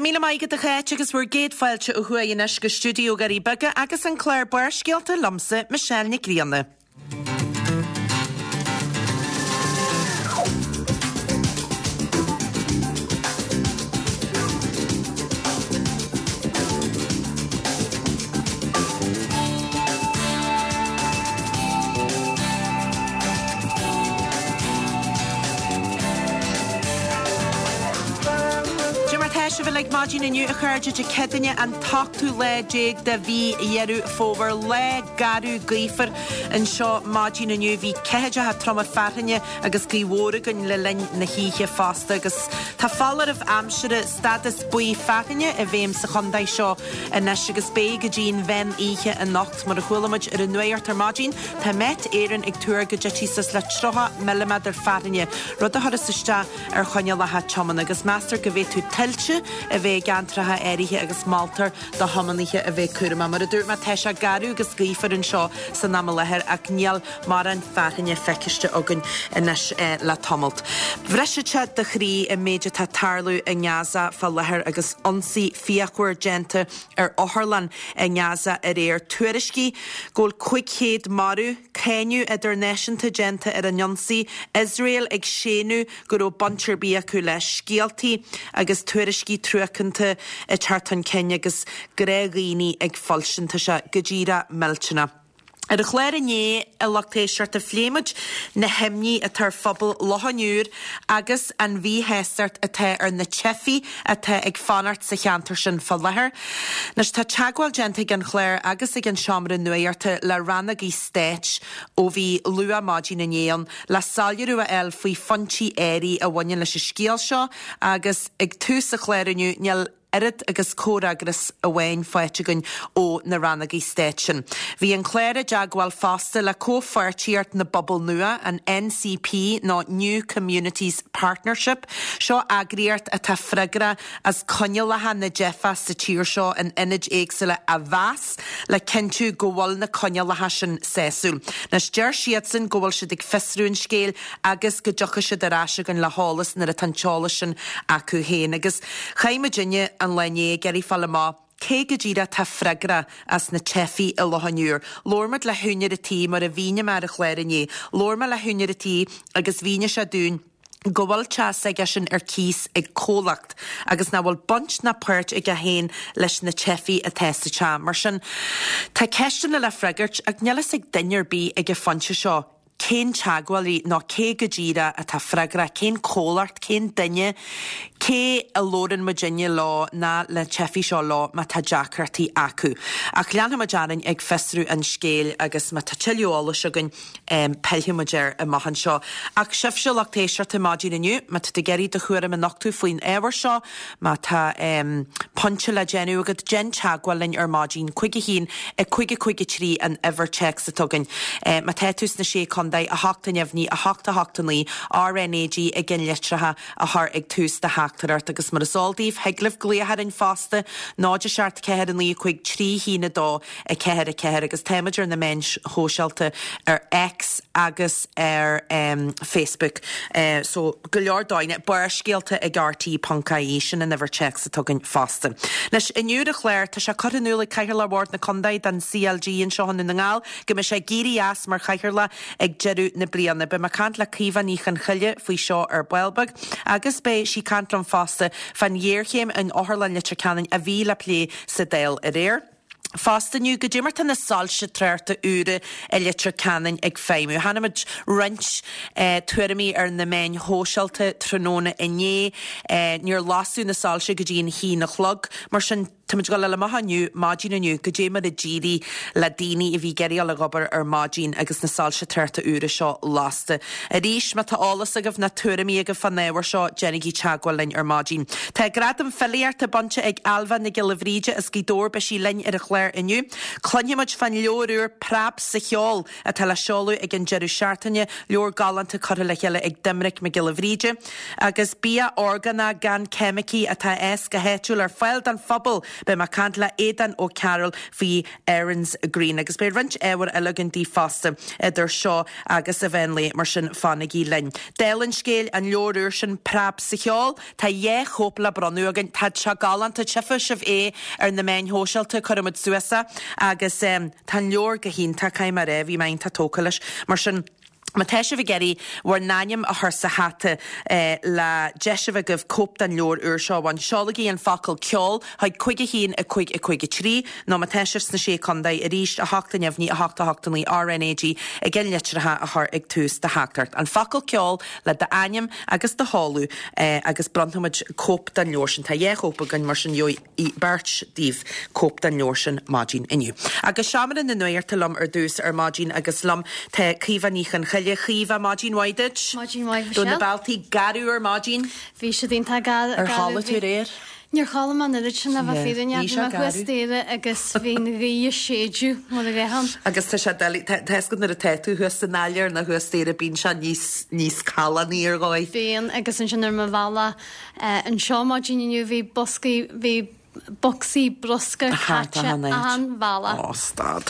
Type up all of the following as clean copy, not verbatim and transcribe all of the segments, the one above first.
raibh míle maith agat a Cháit agus bhur gcéad fáilte ó thuaidh anois go stiúideo Dhoirí Beaga agus an clár Barrscéalta liomsa, Michelle Nic Grianna. Dé mar tá sibh uilig maidin inniu a chairde Dé Céadaoine an t-ochtú lá déag de mhí Dheireadh Fómhair, lá garbh gaofar anseo maidin inniu. Bhí ceathaideacha troma fearthainne agus gaoth mhór againn le linn na hoíche fosta agus tá foláireamh aimsire stádas buí fearthainne i bhfeidhm sa chontae seo anois agus beidh go dtí an mheán oíche anocht. Mar a chuala muid ar an nuacht ar maidin, tá Met Éireann ag tuar go dtitfidh suas le 30 milliméadar fearthainne, rud a chuirfeas isteach ar choinníollacha tiomána agus meastar go bhféadfadh tuilte a bheith i gceantracha áirithe agus moltar do thiománaithe a bheith cúramach. Mar a dúirt mé, tá sé garbh agus gaofar anseo san am i láthair ach níl mórán fearthainne feiciste againn anois le tamalt. Brisfeadh sé do chroí an méid atá ag tarlú i nGaza fá láthair agus ionsaí fíochmhar déanta ar otharlann i nGaza aréir. Tuairiscí go bhfuil 500 marbh, cáineadh idirnáisiúnta déanta ar an ionsaí, Iosrael ag séanadh go raibh baint ar bith acu leis, scéaltaí agus tuairiscí truacánta ag teacht chun cinn agus gnáthdhaoine ag foilsint. Tá sé go díreach millteanach. Ar an chlár inné, a lucht éisteachta, phléigh muid na himní atá ar phobal Loch an Iúir agus an mhíshástacht atá ar na teifigh atá ag fanacht sa cheantar sin fá láthair. Anois, tá teagmháil déanta ag an chlár agus ag an seomra nuachta le rannógaí stáit ó bhí luath maidin inné ann le soiléiriú a fháil faoi phointí áirithe a bhaineann leis an scéal seo agus ag tús an chláir inniu níl oiread agus comhfhreagras amháin faighte againn ó na rannógaí stáit sin. Bhí an clár i dteagmháil fosta le Comhpháirtíocht na bPobal Nua, an NCP nó New Communities Partnership. Seo eagraíocht atá freagrach as coinníollacha na dteifeach sa tír seo in ionaid éagsúla a mheas le cinntiú go bhfuil na coinníollacha sin sásúil. Anois deir siadsan go bhfuil siad ag fiosrú an scéil agus go dtiocfaidh siad ar ais chugainn le heolas nuair atá an t-eolas sin acu féin. Agus chaith muidinne an lá inné ag iarraidh fáil amach cé go díreach atá freagrach as na teifigh i Loch an Iúir. Labhair muid le húinéir an tí, mar a mhínigh mé ar an chlár inné. Labhair mé le húinéir an tí agus mhínigh sé dúinn go bhfuil teach s'aigesean ar cíos ag comhlacht agus nach bhfuil baint ná páirt aige féin leis na teifigh atá sa teach. Mar sin, tá ceisteanna le freagairt ach níl fhios ag duine ar bith ag an phointe seo cén teagmhálaí nó cé go díreach atá freagrach, cén comhlacht, cén duine, cé a labhrann muidinne leo ná na teifigh seo leo má tá deacrachtaí acu. Ach leanfaidh muid orainn ag fiosrú an scéil agus má tá tuilleadh eolais againn pillfidh muid air amach anseo. Ach sibhse lucht éisteachta maidin inniu, má tá tú ag iarraidh do thuairim a nochtadh faoin ábhar seo, Má tá pointe le déanamh agat, déan teagmháil linn ar maidin, 5 1 5 5 3 an uimhir téacs atá againn. Má tá tú sna Sé Contae, 8 neamhní, 8 8 9, RNAG i gceannlitreacha a chur ag tús do theachtaireacht. Agus mar is eol daoibh, thig libh glaoch orainn fosta, 0 7 4 9 5 3 1 2 4 4 agus táimid ar na meáin shóisialta ar X agus ar Facebook. So go leor dóigheanna, Barrscéalta ag RTÉ.ie, sin an uimhir téacs atá againn fosta. Anois, inniu ar an chlár, tá sé curtha in iúl ag Cathaoirleach Bhord na Contae don CLG anseo i nDún na nGall go mbeidh sé ag éirí as mar Chathaoirleach ag deireadh na bliana. Beidh mé ag caint le Caoimhe Ní Chonchoille faoi seo ar ball beag agus beidh sí ag caint liom fosta fán ghéarchéim in Otharlann Leitir Ceanainn a bhí le plé sa Dáil aréir. Fosta inniu, goidé mar tá na soilse tráchta úra i Leitir Ceanainn ag feidhmiú. Chonaic muid roinnt tuairimí ar na meáin shóisialta tráthnóna inné. Níor lasadh na soilse go dtí an haon a chlog. Mar sin, táimid ag dul a fháil amach inniu, maidin inniu, goidé mar a d'éirigh le daoine a bhí ag iarraidh dul ag obair ar maidin agus na soilse tráchta úra seo lasta. Arís, má tá eolas agaibh ná tuairimí agaibh fán ábhar seo, déanaigí teagmháil linn ar maidin. Tá Gradam Filíochta bainte ag Ailbhe Nic Giolla Bhríde as Gaoth Dobhair. Beidh sí linn ar an chlár. chlár inniu. Cluinfidh muid fán leabhar úr Preab sa Cheol atá le seoladh ag an deireadh seachtaine, leabhar galánta curtha le chéile ag Doimnic Mac Giolla Bhríde. Agus bia orgánach gan ceimicí atá ag fás go háitiúil ar fáil don phobal. Beidh mé ag caint le Aodán Ó Cearúil faoi Erin's Green. Agus beidh roinnt ábhair eile againn daoibh fosta idir seo agus an mheán lae, mar sin fanaigí linn. Dála an scéil, an leabhar úr sin Preab sa Cheol, tá dhá chóip le bronnadh againn. Tá sé galánta, tchífidh sibh é ar na meáin shóisialta, cuirfidh muid suas é agus tá an leabhar go hiontach, caithfidh mé a rá, bhí mé iontach tógtha leis. Mar sin. Má tá sibh ag iarraidh bhur n-ainm a chur sa hata le deis a bheith agaibh cóip den leabhar úr seo a bhaint, seolaigí an focal 'ceol' chuig 5 1 5 5 3 nó má tá sibh sna Sé Contae arís, 8 neamhní 8 8 9 RNAG ag an litreacha a chur ag tús do theachtaireacht. An focal 'ceol' le d'ainm agus do sheoladh agus bronnfaimid cóip den leabhar sin. Tá dhá chóip againn mar sin gheobhaidh. beirt daoibh cóip den leabhar sin maidin inniu. Agus Seomra na Nuachta liom ar dtús ar maidin agus liom tá Caoimhe Ní Chonchoille. Caoimhe, maidin mhaith duit. Maidin mhaith, Michelle. Raibh na bealtaí garbh ar maidin? Bhí siad iontach garbh. Ar chodlaigh tú aréir? Níor chodlaigh mé an oiread sin le bheith fírinneach. Bhí mé thuas staighre agus bhí an ghaoth ag séideadh mar a bheadh ann. Agus tá sé doiligh, tá a fhios agat nuair atá tú thuas san áiléar nó thuas staighre bíonn sé níos, níos callánaí ar dhóigh. Bíonn agus ansin ar mo bhealach Anseo maidin inniu bhí boscaí, bhí bocsaí bruscair caite achan bhealach. Ó, stad.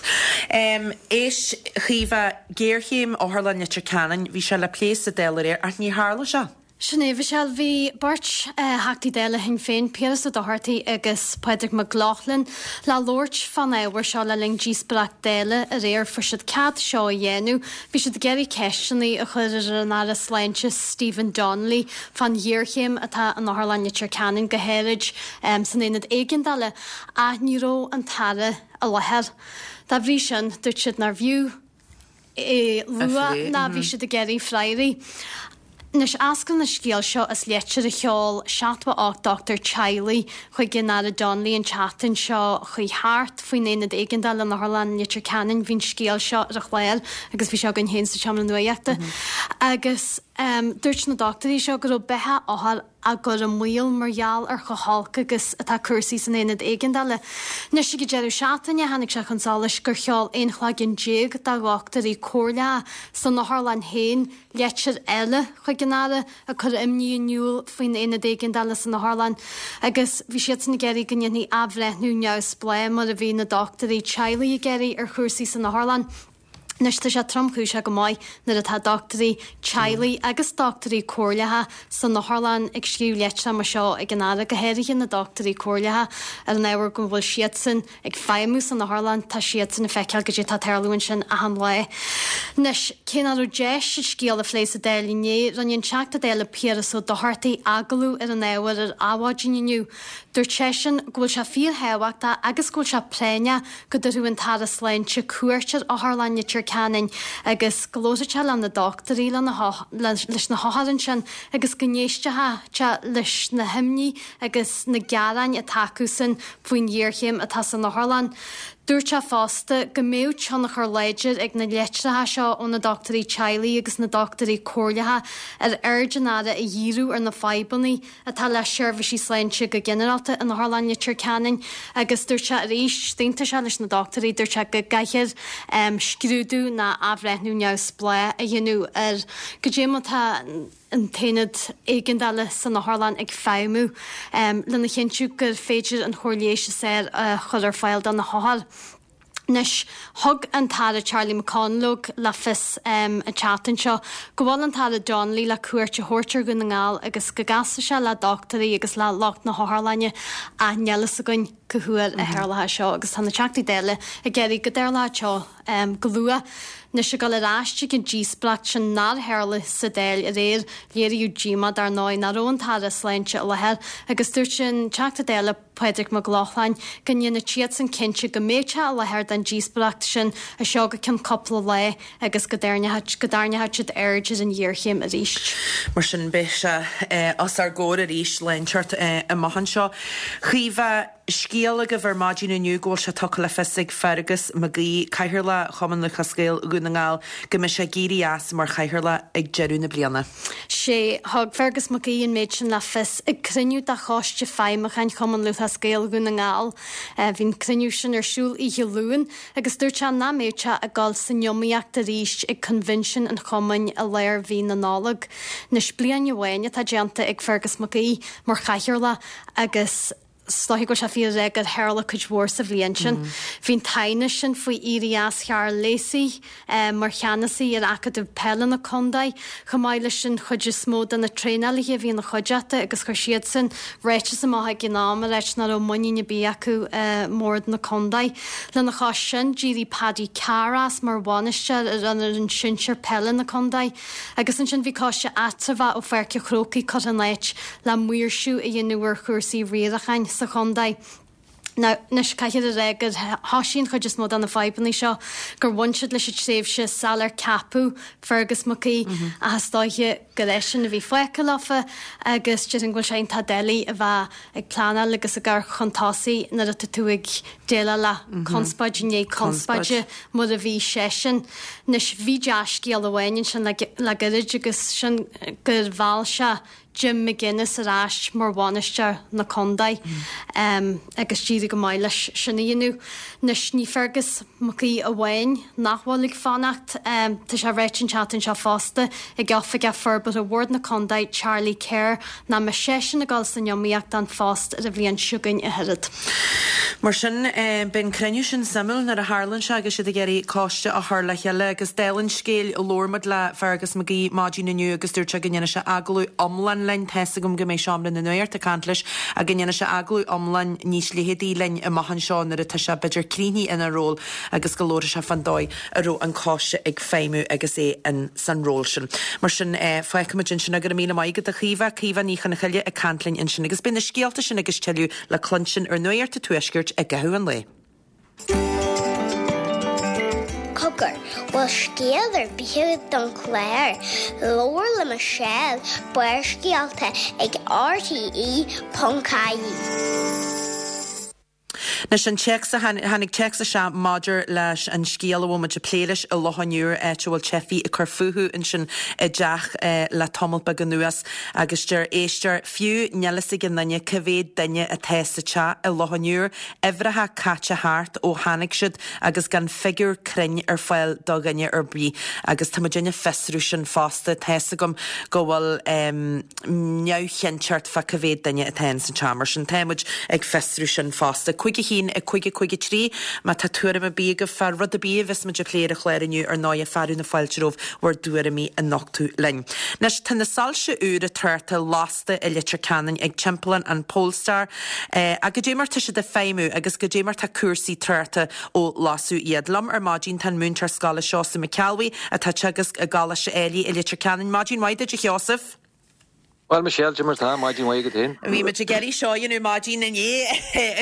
Éist, a Chaoimhe, géarchéim Otharlann Leitir Ceanainn, bhí sé le plé sa Dáil aréir ach ní tharla sé. Sin é, Michelle. Bhí beirt Theachtaí Dála Shinn Féin, Piaras Ó Dochartaigh agus Pádraig Mac Lochlainn, le labhairt fán ábhar seo le linn díospóireacht Dála aréir. Fuair siad cead seo a dhéanamh. Bhí siad ag iarraidh ceisteanna a chur ar an Aire Sláinte Stephen Donnelly fán ghéarchéim atá in Otharlann Leitir Ceanainn, go háirid san aonad éigeandála, ach ní raibh an tAire i láthair. Dá bhrí sin, dúirt siad nárbh fhiú é a lua ná bhí siad ag iarraidh freagraí. Anois, eascraíonn an scéal seo as leitir a sheol 78 dochtúir teaghlaigh chuig an Aire Donnelly an tseachtain seo chuaigh thart faoin aonad éigeandála in Otharlann Leitir Ceanainn. Bhí an scéal seo ar an chlár agus bhí sé againn féin sa tSeomra Nuachta. Agus dúirt na dochtúirí seo go raibh beatha othar á gcur i mbaol mar gheall ar chomh holc agus atá cúrsaí san aonad éigeandála. Anois ag an deireadh seachtaine tháinig sé chun solais gur sheol 11 chloigeann de dhochtúirí comhairleacha san otharlann féin leitir eile chuig an Aire ag cur imní in iúl faoin aonad éigeandála san otharlann agus bhí siadsan ag iarraidh go ndéanfaí athbhreithniú neamhspleách mar a bhí na dochtúirí teaghlaigh ag iarraidh ar chúrsaí san otharlann. Anois tá sé tromchúiseach go maith nuair atá dochtúirí teaghlaigh agus dochtúirí comhairleacha san otharlann ag scríobh leitreacha mar seo ag an Aire, go háirithe na dochtúirí comhairleacha ar an ábhar go bhfuil siadsan ag feidhmiú san otharlann, tá siadsan ag feiceáil goidé atá ag tarlú ansin achan lá. Anois, cé nach raibh deis an scéal a phlé sa Dáil inné, rinne an Teachta Dála Piaras Ó Dochartaigh agallamh ar an ábhar ar Adhmhaidin inniu. Dúirt seisean go bhfuil sé fíorthábhachtach agus go bhfuil sé práinneach go dtabharfadh an tAire Sláinte cuairt ar Otharlann Leitir Ceanainn agus go labharfadh sé le na dochtúirí, leis na hothair ansin agus go n-éistfeadh sé leis na himní agus na gearáin atá acusan faoin ghéarchéim atá san otharlann. Dúirt sé fosta go mbeadh tionchar láidir ag na leitreacha seo ó na dochtúirí teaghlaigh agus na dochtúirí comhairleacha ar aird an Aire a dhíriú ar na fadhbanna atá le seirbhísí sláinte go ginearálta in Otharlann Leitir Ceanainn agus dúirt sé arís, d'aontaigh sé leis na dochtúirí, dúirt sé go gcaithfear scrúdú ná athbhreithniú neamhspleách a dhéanamh ar goidé mar atá an t-aonad éigeandála san otharlann ag feidhmiú lena chinntiú gur féidir an chóir leighis is fearr a chur ar fáil do na hothair. Anois, thug an tAire Charlie McConalogue le fios an tseachtain seo go bhfuil an tAire Donnelly le cuairt a thabhairt ar Dhún na nGall agus go gcasfaidh sé le dochtúirí agus le lucht na hotharlainne ach níl fhios againn cá huair a tharlóidh seo agus tá na Teachtaí Dála ag iarraidh go dtarlódh seo go luath. Anois ag dul ar ais chuig an díospóireacht sin nár tharla sa Dáil aréir, léiríodh díomá dar ndóigh nach raibh an tAire Sláinte i láthair agus dúirt an Teachta Dála Pádraig Mac Lochlainn go ndéanfadh siadsan cinnte go mbeadh sé i láthair don díospóireacht sin as seo go ceann cúpla lá agus go dtarraingeodh siad aird ar an ghéarchéim arís. Mar sin beidh sé os ár gcomhair arís lá inteacht amach anseo. Caoimhe. Scéal agaibh ar maidin inniu go bhfuil sé tugtha le fios ag Fergus McGee, Cathaoirleach Chumann Lúthchleas Gael Dhún na nGall, go mbeidh sé ag éirí as mar chathaoirleach ag deireadh na bliana. Sé, thug Fergus McGee an méid sin le fios ag cruinniú de Choiste Feidhmiúcháin Chumann Lúthchleas. Lúthchleas Gael Dhún na nGall. Bhí an cruinniú sin ar siúl oíche Luain agus dúirt sé nach mbeadh sé ag dul san iomaíocht arís ag coinbhinsiún an chumainn i lár mhí na Nollag. Anois bliain amháin atá déanta ag Fergus Mac Aoidh mar chathaoirleach agus is dóiche go bhfuil sé fíor a rá gur tharla cuid mhór sa bhliain sin. Bhí an t-aighneas sin faoi éirí as Charles Lacey mar cheannasaí ar Acadamh Peile na Contae, chomh maith leis an chuid is mó de na traenálaithe a bhí ina chuideachta agus chuir siadsan ráiteas amach ag an am a ráit nach raibh muinín ar bith acu i mbord na contae. Lena chois sin, d'éirigh Paddy Carr as mar bhainisteoir ar an fhoireann sinsir peile na contae. Agus ansin bhí coiste eatramhach ó Pháirc an Chrócaigh curtha in áit le maoirsiú a dhéanamh ar chúrsaí riaracháin sa chontae. Now, anois, caithfear a rá gur thosaigh an chuid is mó de na fadhbanna seo, gur bhain siad leis an tréimhse sular ceapadh Fergus Mac Aoidh, ach is dóiche gur eisean a bhí fágtha leofa agus déarfainn go bhfuil sé iontach doiligh a bheith ag pleanáil agus ag amharc chun tosaigh nuair atá tú ag déileáil le conspóid i ndiaidh conspóide mar a bhí seisean. Anois, bhí dea-scéal amháin ansin le gairid agus sin gur mheall sé Jim McGuinness ar ais mar bhainisteoir na contae agus d'éirigh go maith leis sin a dhéanamh. Anois, ní Fergus Mac Aoidh amháin nach bhfuil ag fanacht. Tá sé ráite an tseachtain seo fosta ag Oifigeach Forbartha Bhord na Contae, Charlie Kerr, nach mbeidh seisean ag dul san iomaíocht don phost ar an bhliain seo chugainn ach oiread. Mar sin, beidh an cruinniú sin suimiúil nuair a tharlann sé agus siad ag iarraidh coiste a chur le chéile. Agus dála an scéil, labhair muid le Fergus McGee maidin inniu agus dúirt sé go ndéanfaidh sé agallamh iomlán linn, tá's agam go mbeidh Seomra na Nuachta ag caint leis, ach go ndéanfaidh sé agallamh iomlán níos leitheadaí linn amach anseo nuair atá sé b'fhéidir críochnaithe ina ról agus go labharfaidh sé fán dóigh a raibh an coiste ag feidhmiú agus é in san ról sin. Mar sin, fágfaimid ansin é. Go raibh míle maith agat a Chaoimhe, Caoimhe Ní Chonchoille ag caint linn ansin. Agus beidh na scéalta sin agus tuilleadh le cluinstin ar Nuacht an Tuaiscirt i gcaitheamh an lae. Cogar, bhfuil scéal ar bith agat don chlár? Labhair le Michelle, Barrscéalta ag RTE.ie. Anois an téacs a tháinig téacs isteach maidir leis an scéal a bhfuil muid ag plé leis i Loch an Iúir, áit a bhfuil teifigh ag cur fúthu ansin i dteach le tamall beag anuas agus deir éisteoir, fiú níl fhios ag aon duine cá mhéad duine atá sa teach i Loch an Iúir, uimhreacha caite thart ó tháinig siad agus gan figiúr cruinn ar fáil do dhuine ar bith agus tá muid ag fiosrú sin fosta, tá's agam go bhfuil neamhchinnteacht fá cá mhéad duine atá in san teach. Mar sin tá muid ag fiosrú sin fosta. 5 1 5 5 3 Má tá tuairim ar bith agaibh fá rud ar bith a bheas muid ag plé ar an chlár inniu, ar ndóighe, fearadh na fáilte romhaibh bhur dtuairimí a nochtadh linn. Anois, tá na soilse úra tráchta lasta i Leitir Ceanainn ag timpeallán an Polestar. Ach goidé mar tá siad ag feidhmiú agus goidé mar tá cúrsaí tráchta ó lasadh iad. Liom ar maidin tá an múinteoir scoile Seosamh Mac Ceallbhuí atá ag teagasc i gColáiste Ailigh i Leitir Ceanainn. Maidin mhaith duit a Sheosaimh. Bhuel Michelle, goidé mar tá, maidin mhaith agat féin. Bhí muid ag iarraidh seo a dhéanamh maidin inné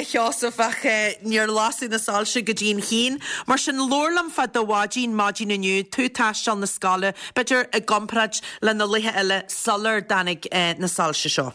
a Sheosaimh ach níor lasadh na soilse go dtí an haon. Mar sin labhair liom fá do mhaidin, maidin inniu, tú ag taisteal na scoile, b'fhéidir i gcomparáid le na laetha eile sular dtáinig na soilse seo.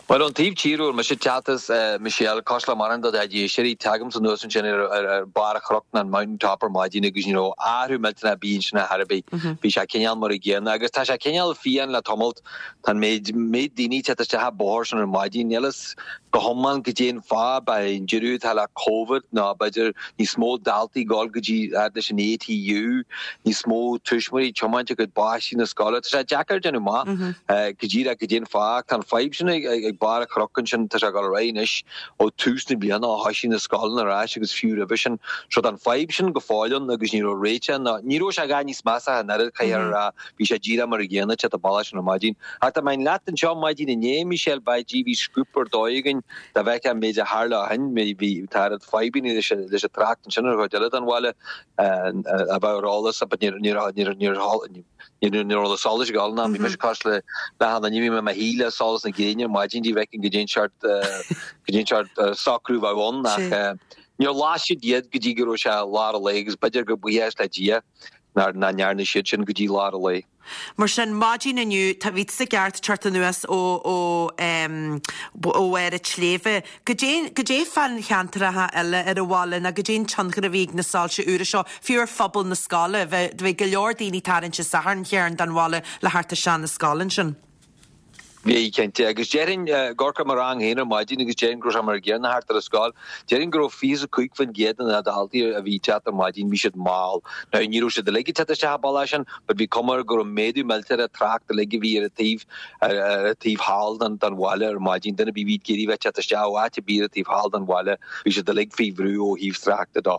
Bhuel, ón taobh tíre a bhfuil mise ag teacht as, Michelle, cosúil le mórán de do chuid éisteoirí, tagaimse anuas ansin ar barr an chnoic nó an mountain top ar maidin agus ní raibh athrú millteanach ar bith ansin ar chor ar bith. Bhí sé cineál mar a gcéanna agus tá sé cineál fiáin le tamalt. Tá an méid méid daoine ag teacht isteach an bóthar sin ar maidin, níl fhios go hiomlán goidé an fáth, b'é an deireadh atá le Covid nó b'fhéidir níos mó daltaí ag dul go dtí fhad leis an ATU, níos mó tuismitheoirí ag tiomáint a gcuid páistí na scoile. Tá sé deacair déanamh amach go díreach goidé an fáth ach tá an fadhb sin ag barr an chnoic ansin, tá sé ag dul ar aghaidh anois ó tús na bliana ó thoisigh na scoileanna ar ais agus fiú roimhe sin. So tá an fadhb sin go fóill ann agus ní raibh réiteach ná ní raibh sé a dhath níos measa ach an oiread, caithfear a rá, bhí sé díreach mar a gcéanna ag teacht an bealach sin ar maidin. Ach dá mbeinn leat anseo maidin inné, Michelle, bheadh bhí scúp ar dóigh againn Dá bhfeicfeá an méid a tharla ó shin, bhí, tá oiread fadhbanna leis an trácht ansin ar an chuid eile den bhaile a bheadh ar eolas but ní raibh na solais ag dul ná bhí mise cosúil le achan duine, bhí mé i mo shuí le solas na gréine ar maidin dá bhfeicfinn goidé an seort, goidé an seort socrú a bheadh ann ach níor las siad iad go dtí go raibh sé lár an lae agus b'fhéidir gur buíochas le Dia nach ndearna siad sin go dtí lár an lae. Mar sin, maidin inniu, tá, bhí tusa ceart teacht anuas ó, ó, ó bharr an tsléibhe. Goidé, goidé fán cheantracha eile ar an bhaile nó goidé an tionchar a bhí ag na soilse úra seo, fiú ar phobal na scoile? Bhí, bhí go leor daoine tarraingt an Satharn chearn den bhaile le theacht isteach na scoile ansin. Bhí, cinnte. Agus déarfainn, ag amharc ar mo rang féin ar maidin agus déarfainn go raibh sé mar an gcéanna thart ar an scoil, déarfainn go raibh 25% de na daltaí a bhí ag teacht ar maidin, bhí siad mall. Now, ní raibh siad uilig ag teacht isteach an bealach sin, but bhí cuma air go raibh méadú millteach ar an trácht uilig a bhí ar an taobh, ar an taobh thall den, den bhaile ar maidin. Duine ar bith a bhí ag iarraidh bheith ag teacht isteach ó áit ar bith ar an taobh thall den bhaile, bhí siad uilig faoi bhrú ó thaobh tráchta de.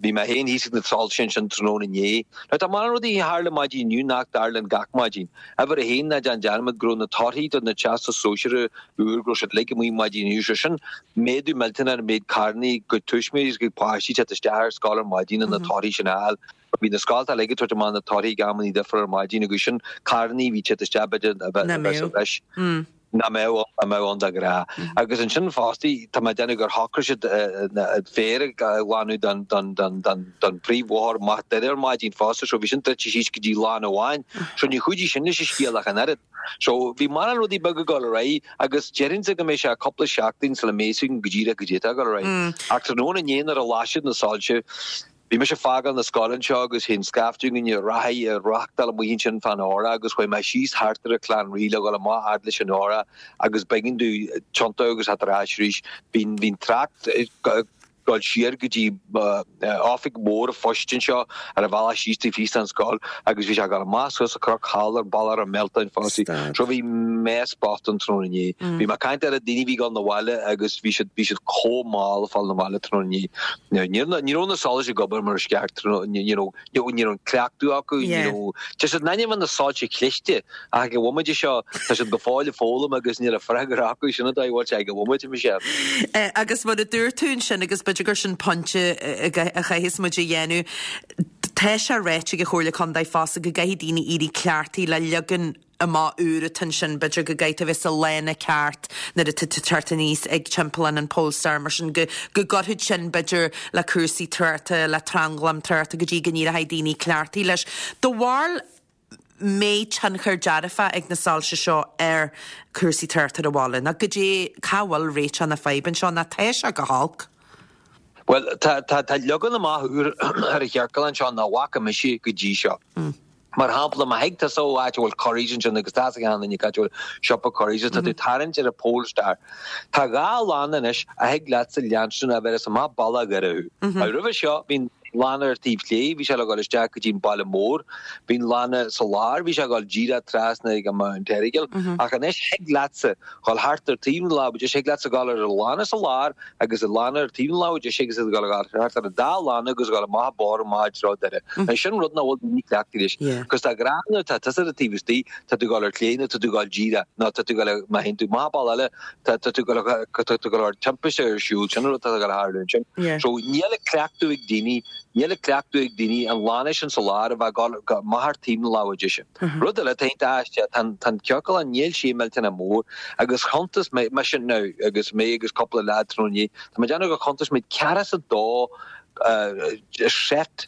Bhí mé féin thíos ag na soilse ansin tráthnóna inné. Now, tá mórán rudaí a tharla maidin inniu nach dtarlaíonn gach maidin. Uimhir a haon, ná déan dearmad go raibh na torthaí do na Teastas Sóisearaigh úr, go raibh siad uilig amuigh maidin inniu. So sin méadú millteanach ar an méid carrannaí ag tuismitheoirí agus ag páistí teacht isteach ar scoil ar maidin le na torthaí sin a fháil. Bhí na scoltacha uilig ag tabhairt amach na torthaí ag amannaí difriúla ar maidin agus sin carrannaí a bhí teacht isteach b'fhéidir a bheith sa bhreis. nach mbeadh ann, nach mbeadh ann de ghnáth. Agus ansin fostaí, tá mé ag déanamh gur shocraigh siad féar a ghlanadh don, don, don, don, don phríomhbhóthar amach Doire ar maidin fosta, so bhí sin druidte síos go dtí lána amháin. So ní chuidigh sin leis an scéal ach an oiread. So bhí mórán rudaí beaga ag dul ar aghaidh agus déarfainnse go mbeidh sé cúpla seachtain sula mbeidh a fhios againn go díreach goidé atá ag dul ar aghaidh. Ach tráthnóna inné nuair a las siad na soilse, Bhí mise ag fágáil na scoile anseo agus bhí an scaifte againn ag reathaí ag reáchtáil amuigh ansin fán Eora agus chuaigh mé síos thart ar an Chlann Rí le dhul amach fhad leis an Eora agus b'éigean domh tiontú agus theacht ar ais arís. Bhí an trácht ag dul siar go dtí oifig mhór an phoist anseo ar an bhealach síos taobh thíos den scoil agus bhí sé ag dul amach suas an cnoc thall ar Bealach an Mhealtáin fosta. So bhí mess bocht ann tráthnóna inné. Bhí mé ag caint ar na daoine a bhí ag dul 'na bhaile agus bhí siad bhí siad chomh mall ag fáil 'na bhaile tráthnóna inné. Ní raibh na solais ag obair mar is ceart, ní raibh an cleachtadh acu, ní raibh, tá siad in ainm na soilse cliste ach ag an bhomaite seo tá siad go fóill ag foghlaim agus níl an freagra acu, sin an dóigh a bhfuil sé ag an bhomaite, Michelle. Agus mar a dúirt tú ansin, agus b'fhéidir gur sin pointe a chaithfeas muid a dhéanamh, tá sé ráite ag an Chomhairle Contae fosta go gcaithfidh daoine éirí cleachtaithe le leagan amach úr atá ansin, b'fhéidir go gcaithfidh tú a bheith sa lána ceart nuair atá tú ag teacht aníos ag timpeallán an Polestar, mar sin go go gcuirfeadh sin b'fhéidir le cúrsaí tráchta, le tranglam tráchta go dtí go n-éireoidh daoine cleachtaithe leis. Do bharúil an mbeidh tionchar dearfach ag na soilse seo ar cúrsaí tráchta ar an bhaile, nó goidé cá bhfuil réiteach na faidhbe anseo, nó tá sé go holc? Bhuel, tá tá tá leagan amach úr ar an chiorclán seo nach bhfaca mise go dtí seo. Mar shampla, má thig tusa ó áit a bhfuil Currys ansin agus tá a fhios ag achan duine cá háit a bhfuil siopa Currys agus tá tú ag tarraingt ar an Polestar. Tá dhá lána anois a thig leatsa leanstan a bhéarfas amach bealach Dhoire thú. Now roimhe seo bhí an lána ar taobh clé, bhí sé le dhul isteach go dtí an baile mór, bhí an lána sa lár, bhí sé ag dhul díreach trasna ag an Mount Errigal, ach anois thig leatsa dhul thart ar taobh na láimhe deise, thig leatsa dhul ar an lána sa lár agus an lána ar taobh na láimhe deise agus ag dul thart ar an dá lána agus ag dul amach an bóthar amach i dtreo Doire. Now sin rud nach bhfuil daoine cleachtaithe leis. Cos de ghnáth nuair atá tusa ar an taobh istigh, tá tú ag dul ar clé nó tá tú ag dul díreach nó tá tú ag dul, má théann tú amach an bealach eile, tá tú ag dul, tá tú ag dul ar timpiste ar siúl, sin an rud atá ag dul a tharlú ansin. So níl an cleachtadh ag daoine, níl an cleachtadh ag daoine an lána sin sa lár a bheith ag dul amach ar taobh na láimhe deise. Rud eile atá iontach aisteach, tá an ciorclán, níl sé millteanach mór, agus chuntas mé, mise now, agus mé agus cúpla leaid tráthnóna inné, tá mé ag déanamh gur chuntas muid ceathracha is a dó set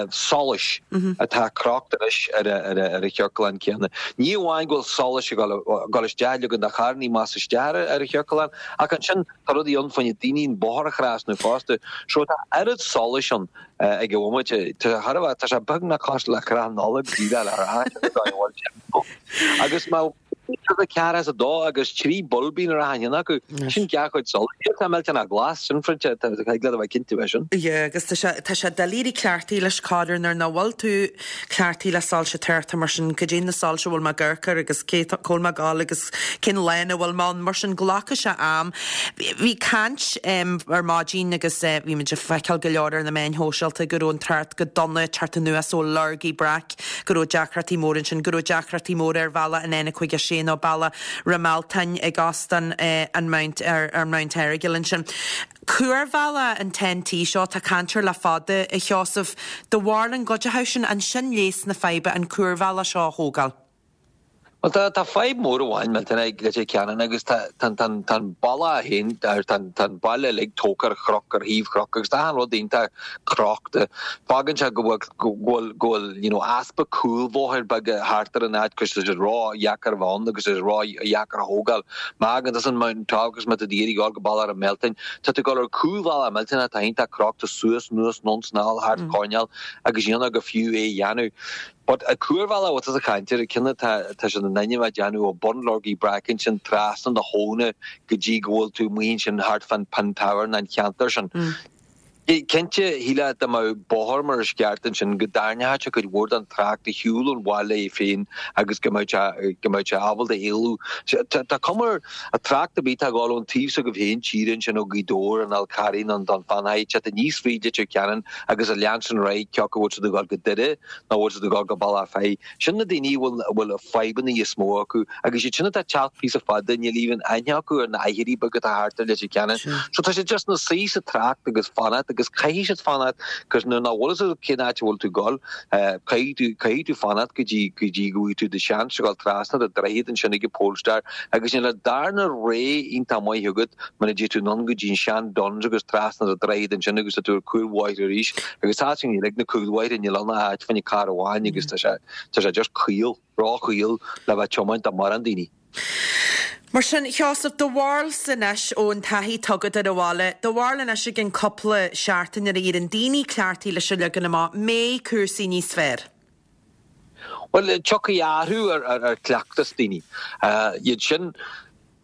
solais atá crochta anois ar an chiorclán céanna. Ní amháin go bhfuil solais ag dul isteach, ligean do charrannaí amach is isteach ar an chiorclán, ach ansin tá rudaí ann fá choinne daoine an bóthar a thrasnú fosta. So tá oiread solais ann ag an bhomaite. Tá thar a bheith, tá sé beagnach cosúil le crann Nollag díreach le rá, sin an dóigh a bhfuil sé. Agus má bhíonn ceathracha is a dó agus 3 boilbín ar achan cheann acu, sin dhá chuid solais. Níl tá millteanach glas, sin pointe, tá thig leat a bheith cinnte faoi sin. Yeah, agus tá sé, tá sé doiligh éirí cleachtaithe leis corruair nuair nach bhfuil tú cleachtaithe le soilse tráchta mar sin, goidé na soilse a bhfuil mé ag amharc air agus cé, cá bhfuil mé ag dul agus cén lána a bhfuil mé ann, mar sin glacfaidh sé am. Bhí caint ar maidin agus bhí muid ag feiceáil go leor ar na meáin shóisialta go raibh an trácht go dona ag teacht anuas ó Lorg Uí Breac, go raibh deacrachtaí móra ansin, go raibh deacrachtaí móra ar bhealach an N56 nó bealach Ráth Mealtain ag Óstán an Mount ar Mount Errigal ansin. Cuarbhealach an TEN-T seo, tá caint air le fada, a Sheosaimh. Do bharúil an gcuideoidh sin, an sin leigheas na faidhbe, an cuarbhealach seo a thógáil? Bhuel, tá, tá fadhb mhór amháin millteanach ag Leitir Ceanainn agus tá, tá, tá, tá an bealach féin, tá, tá an baile uilig tógtha ar chnoc, ar thaobh chnoc agus tá achan rud iontach crochta. Fágann sé go bhfuil, go bhfuil, go bhfuil, you know, easpa cúlbhóthair beaga thart ar an áit cos tá sé ró-dheacair a bheith ann agus tá sé ró-dheacair a thógáil. Má thagann tusa ón Mountain Top agus má tá tú ag iarraidh dul go Bealach an Mhealtáin, tá tú ag dul ar cúlbhealach millteanach atá iontach crochta suas, anuas, anonn 's anall thart coirnéal agus níl ná go fiú é a dhéanamh. But an cuarbhealach a bhfuil tusa ag caint air, ceann atá tá siad in ainm a déanamh ó bun Lorgaí Breac ansin trasna na habhna go dtí go bhfuil tú amuigh ansin thart fán Pinn Tower an cheantar sin. Cinnte, shílfeá dá mbeadh bóthar mar is ceart ansin go dtarraingeodh sé cuid mhór den trácht ar shiúl ón bhaile é féin agus go mbeadh sé go mbeadh sé ábalta éalú. Tá cuma ar an trácht ar bith atá ag dul ón taobh s'agaibh féin tíre ansin ó Ghaoth Dobhair an Fhál Carraigh nó an Dún Fionnachaidh ag teacht aníos fríd Leitir Ceanainn agus a leanstan ar aghaidh cé acu bhfuil siad ag dul go Doire nó bhfuil siad ag dul go Bealach Féich. Sin na daoine a bhfuil a bhfuil fadhbanna is mó acu agus iad sin atá ag teacht píosa fada níl even aithne acu ar na aithrí beaga atá thart ar Leitir Ceanainn. So tá siad just ina suí sa trácht agus fanacht agus caithfidh siad fanacht cos nuair nach bhfuil fhios agat cén áit a bhfuil tú ag dul caithfidh tú caithfidh tú fanacht go dtí go dtí go bhfaighidh tú do sheans a dhul trasna do droichead ansin ag an Polestar agus níl an darna rogha iontach maith agat muna dté tú anonn go dtí an sean Dunnes agus trasna do droichead ansin agus tá tú ar cúlbhóithre arís agus tá sin ag na cúlbhóithre níl ann ach áit fá choinne carr amháin agus tá sé tá sé just caol, ró-chaol le bheith tiomáint do mórán daoine. Mar sin, Sheosamh, do bharúilsa anois ón taithí atá agat ar an bhaile, do bharúil anois i gcionn cúpla seachtain nuair a éiríonn daoine cleachtaithe leis an leagan amach, mbeidh cúrsaí níos fearr? Bhuel, tiocfaidh athrú ar chleachtas daoine. Iad sin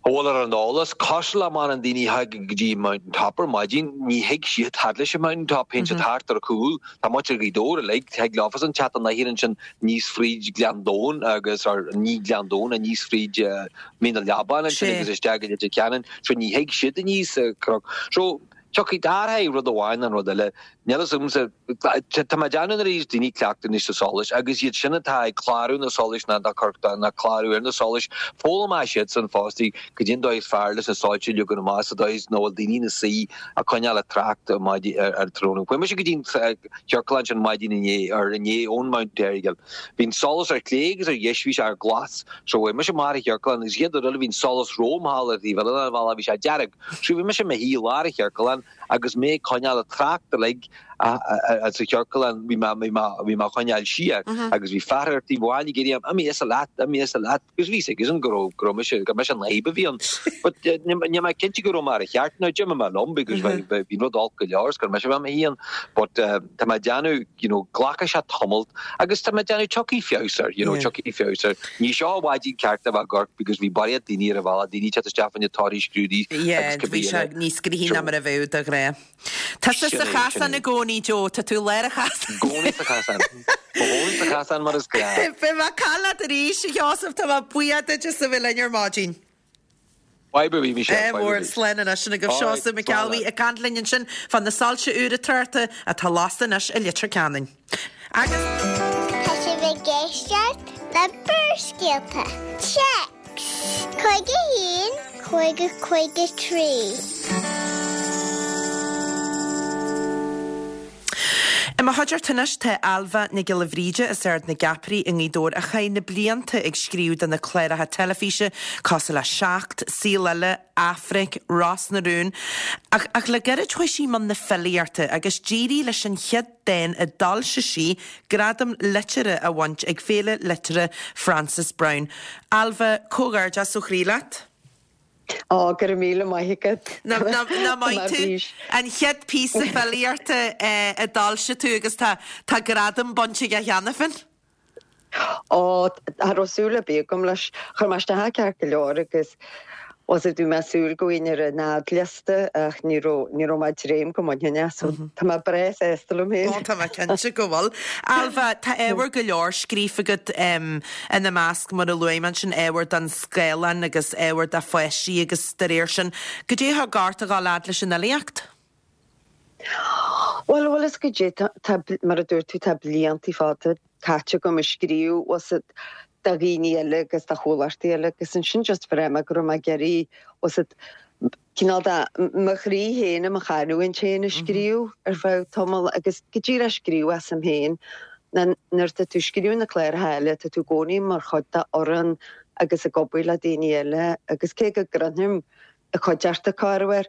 a bhfuil ar an eolas, cosúil le mórán daoine a thagann go dtí Mountain Top ar maidin, ní thig siad fhad leis an Mountain Top, théann siad thart ar a chúl. Tá muintir Ghaoth Dobhair uilig, thig leofasan teacht anoir ansin aníos fríd Gleann Domhain agus, or ní Gleann Domhain, aníos fríd Mín an Leabáin ansin agus isteach go Leitir Ceanainn, so ní thig siad aníos an cnoc. So, Tiocfaidh athraithe rud amháin nó an rud eile. Níl fhios agamsa. Tá mé ag déanamh nuair a bhíos daoine cleachtaithe anois sa solais agus iad sin atá ag clárú na solais ná ná clárú ar na solais, foghlaimeoidh siadsan fosta goidé an dóigh is fearr leis na soilse a leagan amach sa dóigh is nach bhfuil daoine ina suí ag coinneáil an trácht ar tráthnóna. Chuaigh mise go dtí an ciorclán sin maidin inné, or inné ón Mount Errigal. Bhí an solas ar chlé agus ar dheis, bhí sé ar glas. So chuaigh mise amach ar an chiorclán agus chéad rud eile bhí an solas romham thall ar thaobh eile den bhealach, bhí sé dearg. So bhí mise i mo shuí i lár an chiorcláin agus mé ag coinneáil an trácht uilig sa chiorclán, bhí mé, bhí mé, bhí mé á choinneáil siar agus bhí fear ar taobh amháin ag iarraidh orm, imigh as leat, imigh as leat, agus bhí a fhios aigesan go raibh, go raibh mise, gur mise an fhadhb a bhí ann. But níl mé cinnte go raibh mé ar an cheart now, d'imigh mé liom because bhí, bhí an rud olc go leor is gur mise a bhí i mo shuí ann. But tá mé ag déanamh, you know, glacfaidh sé tamalt agus tá mé ag déanamh tiocfaidh feabhas air, you know, tiocfaidh feabhas air. Ní seo an mhaidin ceart a bheith ag amharc because bhí barraíocht daoine ar an bhealach, daoine ag teacht isteach fá choinne torthaí scrúdaithe Yeah, agus cibé bhí sé eile. níos gnoithí ná mar a bheadh de ghnáth. Tá tú sa Sin é, sin chasán é. i gcónaí, Joe, tá tú i lár an chasáin. I gcónaí sa chasán. Mo chónaí sa chasán mar is gnáth. Beidh mé ag caint leat arís, a Sheosaimh, tá mé buíoch duit as a bheith linn ar maidin. Fadhb ar bith, Michelle, Ádh fadhb ar mór, bith. slán anois. Sin agaibh All right, Seosamh Mac slán Ceallbhuí leat. ag caint linn ansin fá na soilse úra tráchta atá lasta anois i Leitir Ceanainn. Agus. Tá sibh ag éisteacht le Barrscéalta. Téacs 51 50 53. I mo chuideachta anois tá Ailbhe Nic Giolla Bhríde as Ard na gCeapairí i nGaoth Dobhair a chaith na blianta ag scríobh do na cláracha teilifíse cosúil le Seacht, Saol Ella, Aifric, Ros na Rún. Ach ach le gairid chuaigh sí i mbun na filíochta agus d'éirigh leis an chéad dán a d'fhoilsigh sí gradam liteartha a bhaint ag Féile Liteartha Frances Browne. Ailbhe, comhghairdeas ó chroí leat. Ó, go raibh míle maith agat. Nach maith tú? An chéad píosa filíochta a d'fhoilsigh tú agus tá tá gradam bainte aige cheana féin. Ó, cha raibh súil ar bith agam leis. Chuir mé isteach ceart go leor agus was it bhí mé ag súil go bhfaighinn ar an fhadliosta ach ní raibh ní raibh mé ag dréim go mbainfinn é so tá mé breá sásta liom féin. Ó, tá mé cinnte go bhfuil. Ailbhe, tá ábhar go leor scríofa agat. Ina measc, mar a luaigh mé ansin, ábhar don scáileán agus ábhar do pháistí agus dá réir sin. Goidé a thug ort a dhul fhad leis an fhilíocht? Bhuel, bhfuil fhios goidé, tá, mar a dúirt tú, tá blianta fada caite agam ag scríobh, bhfuil fhios agat, do dhaoine eile agus do chomhlachtaí eile agus ansin just bhraith mé go raibh mé ag iarraidh, bhfuil fhios agat, cineál de mo chroí féin i mo chanúint féin a scríobh ar feadh tamaill agus go díreach scríobh asam féin. Nuair atá tú ag scríobh na cláracha eile tá tú i gcónaí mar chuid de fhoireann agus ag obair le daoine eile agus cé go gcronaim i cuideachta corruair,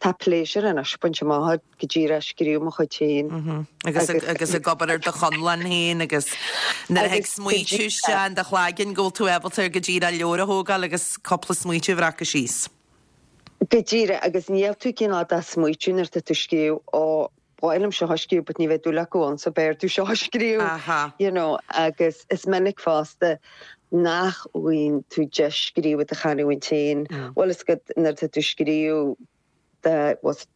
tá pléisiúr anois bainte amach go díreach scríobh mo chuid féin. Agus agus ag obair ar do chonlán féin agus nuair a thig smaoitiú isteach in do chloigeann go bhfuil tú ábalta go díreach leabhar a thógáil agus cúpla smaoitiú a bhreacadh síos. Go díreach, agus níl tú cineál de smaoitiú nuair atá tú ag scríobh, ó. ba mhaith liom seo a scríobh but ní bheidh dúil acu ann so b'fhearr domh seo a scríobh, you know, agus is minic fosta nach bhfaigheann tú deis scríobh i do chanúint féin, bhfuil fhios agat nuair atá tú ag scríobh do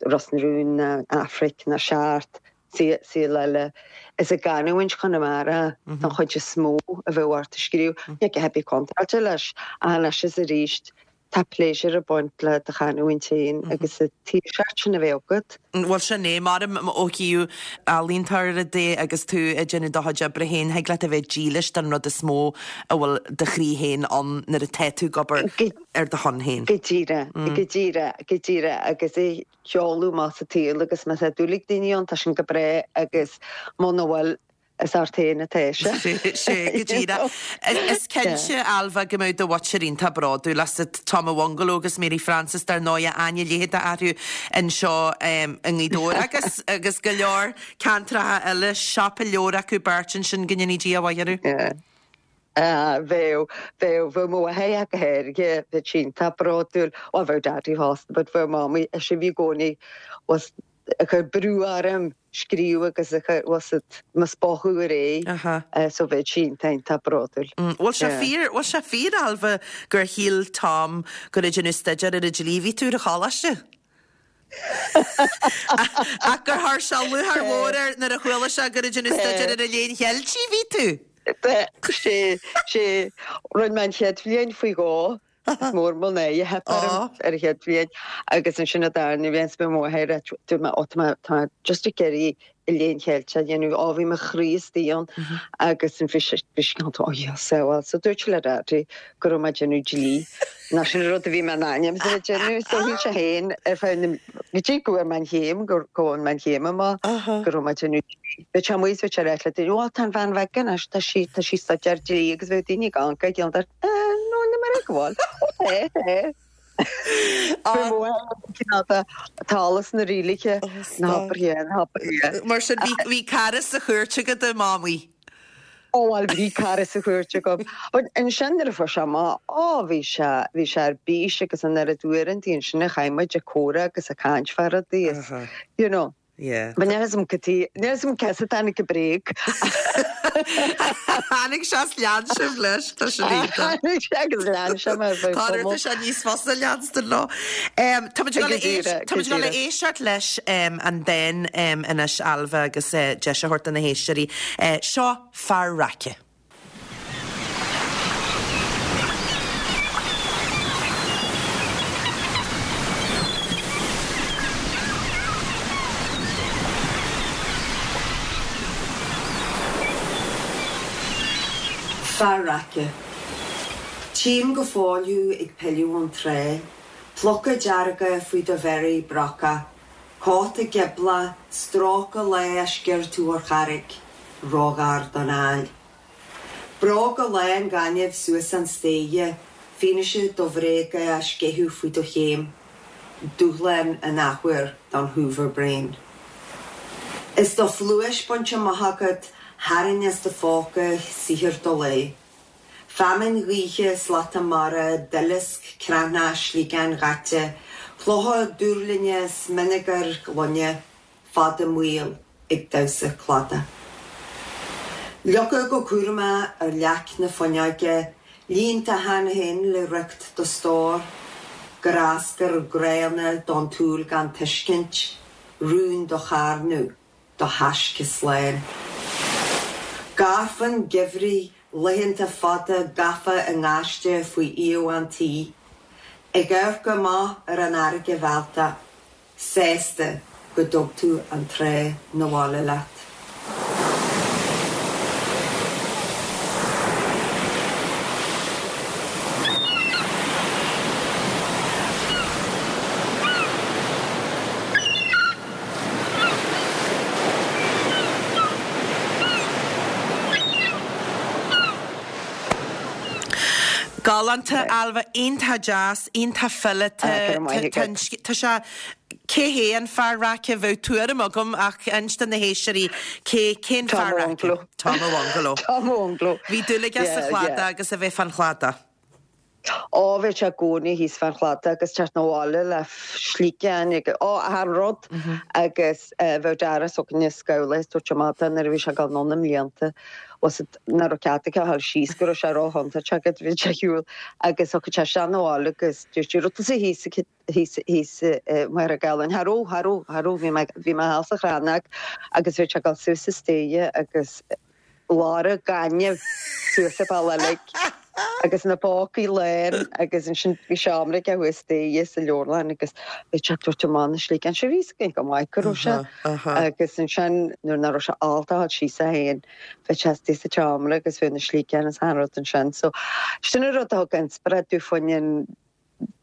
Ros na Rún ná Aifric ná Seacht, saol eile, is i gcanúint Chonamara don chuid is mó a bheadh ort a scríobh. Níl a dhath ar bith contráilte leis, ach anois is arís tá pléisiúr ag baint le do chanúint féin agus an tsaoirseacht sin a bheith agat. Bhuel sin é, mar ó thaobh ealaíontóra de agus tú ag déanamh do chuid oibre féin, thig leat a bheith dílis don rud is mó a bhfuil do chroí féin ann nuair atá tú ag obair ar do shon féin. Go díreach, go díreach, go díreach agus é sheoladh amach sa tsaol agus má tá dúil ag daoine ann tá sin go breá agus muna bhfuil is ort féin atá sé. Sea, go díreach. Is cinnte, Ailbhe, go mbeadh do mhuintir iontach bródúil asat, Tom a' Bhungaló agus Mary Frances, dar ndóigh, aithne leitheadach orthu anseo i nGaoth Dobhair agus agus go leor ceantracha eile, siopa leabhar acu beirt ansin, go ndéanaí Dia a mhaith orthu. Bheadh, bheadh, bheadh mo mháthair ach go háirithe, bheadh sí iontach bródúil, bhuel bheadh Daddy fosta but bheadh Mamaí, ise a bhí i gcónaí was ag cur brú orm scríobh agus ag cur, was it, mo spochadh ar aghaidh so bheadh sí iontach, iontach bródúil. Bhfuil sé fíor, bhfuil sé fíor, Ailbhe, gur shíl Tom gur ag déanamh staidéar ar an dlí a bhí tú ar an choláiste? Ach gur chuir sé lúcháir mhór air nuair a chuala sé gur ag déanamh staidéar ar an Léann Cheiltigh a bhí tú. Sé, sé, rinne mé an chéad bhliain faoi dhó, is mór mo náire a theip orm ar an chéad bhliain agus ansin an darna bhliain is mé mo mháthair a dúirt mé, ó tá mé, tá mé just ag iarraidh an Léann Cheilteach a dhéanamh, ó bhí mo chroí istigh ann agus bhí sé, bhí sé cineál, ó yes, well, so dúirt sé le Daddy go raibh mé ag déanamh dlí, nó sin an rud a bhí mé in ainm is a bheith ag déanamh, so shíl sé féin ar feadh na, go dtí go bhfuair mé an chéim, go bhfuair mé an chéim amach, go raibh mé ag déanamh dlí. Bhí sé amuigh is bhí sé ag ráit le daoine, ó tá an bhean bheag anois, tá sí, tá sí ag staidéar dlí agus bheadh daoine ag amharc ag an, eh, no, ní mar é go bhfuil, ó tá, tá. Tá eolas na rialacha ná habair é, ná habair é. Mar sin, bhí cara sa chúirt agat i Mamaí? Ó bhuel, bhí cara sa chúirt agam. But ansin nuair a fuair sé amach, ó bhí sé, bhí sé ar bís agus an oiread uaireanta ansin a chaith muid ag comhrá agus ag caint fá rudaí is, you know. Yeah. But níl 'fhios a'm cad tuige, níl 'fhios a'm cé as a dtáinig an bréag. Tháinig sé is lean sibh leis, tá sin iontach. Tháinig sé agus lean sé mé ar feadh tamaill. Tá sé níos fusa leanstan leo. Tá muid ag dul tá muid ag dul a éisteacht leis an dán anois, Ailbhe, agus deis a thabhairt do na héisteoirí. Seo Fear Raice. Fear Raice. Tchím go fóill thú ag pilleadh ón trá, Pluca dearga faoi do bhéirí brocach, Cóta gioblach, stróicthe lá a sciorr tú ar charraig, róghar don aill. Bróga lán gainimh suas an staighre, fianaise do bhréaga á sceitheadh faoi do chéim, dúshlán an athuair don hoover brain. Is do phluais bainte amach agat, tharraing as do phóca saothar do lae. Feamainn ghaoithe, slata mara, duileasc, creathnach, sliogáin dhaite, clocha dúrlinne, smionagair ghloine, fada maol ag damhsa cladaigh. Fliuchadh go cúramach ar leac na fuinneoige, líonta cheana féin le riocht do stór, gráscar gránna don tsúil gan tuiscint, rún do charnadh, do thaisce slán. Gairfean geimhridh, laethanta fada gafa i ngaiste faoi aoibh an tí, ag amharc amach ar an fharraige mhealltach, sásta go dtug tú an trá 'na bhaile leat. Galánta, Ailbhe, iontach deas, iontach fileata. Ah, go raibh maith agat. Tá sé, cé hé an fear raice? Bheadh tuairim agam ach inis do na héisteoirí cé, cén Tom fear raice? Tom a' Bhungaló. Tom a' Bhungaló. Bhí dúil aige sa Yeah, chladach yeah. agus a bheith fán chladach. Ó, bheadh sé i gcónaí thíos fán chladach agus teacht 'na bhaile le sligeáin agus, ó, achan rud. Agus bheadh Dara s'againne scamhla ag tabhairt amach dó nuair a bhí sé ag dul anonn i mblianta, bhfuil 's a'd, nach raibh cead aige a dhul síos go raibh sé ró-chontúirteach agus bhí sé ar shiúl agus thiocfadh sé isteach 'na bhaile agus dúirt sé, raibh tusa thíos thíos thíos i Machaire Galláin, cha raibh, cha raibh, cha raibh, bhí mé, bhí mé thall sa Chrannóg agus bhí sé ag dul suas an staighre agus lorg gainimh suas an bealach uilig agus na pócaí lán agus ansin bhí seomra aige thuas staighre sa leabharlann agus bhí sé ag tabhairt amach na sligeáin seo bhí 'fhios againn go maith go raibh sé agus ansin nuair nach raibh sé ábalta a dhul síos é féin bhí sé istigh sa tseomra agus bhí na sligeáin is achan rud ansin so sin an rud a thug inspioráid domh fá choinne an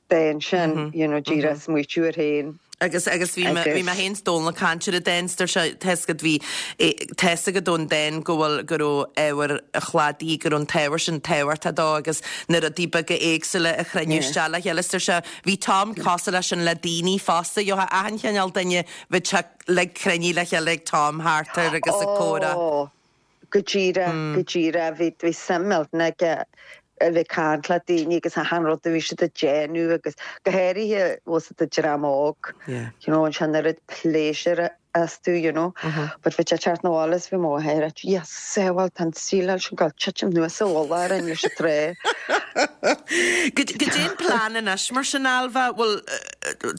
dán sin, you know, díreach smaoitiú air féin. Agus, agus bhí mé, bhí mé féin 's Dónal ag caint ar an dán, 's dúirt sé, tá's agat, bhí, tá's agat ón dán go bhfuil, go raibh ábhar an chladaigh, go raibh an t-ábhar sin tábhachtach dó agus na rudaí beaga éagsúla a chruinniú isteach le chéile. 's dúirt sé, bhí Tom cosúil leis sin le daoine fosta, gheofá achan chineál duine, bheadh sé like cruinnithe le chéile ag Tom thart air agus ag comhrá. Ó, Go díreach, go díreach. Bhí, bhí suim millteanach aige a bheith ag caint le daoine agus achan rud a bhí siad ag déanamh agus go háirithe bhfuil 's a'd an dream óg, you know, an sin oiread pléisiúr astu, you know. But bhí sé ag teacht 'na bhaile is bhí mo mháthair ag Dia sábháil, tá an tsíleáil sin ag dul titim anuas sa mhullach orainn leis an trá. Goidé an plean anois mar sin, Ailbhe, bhfuil,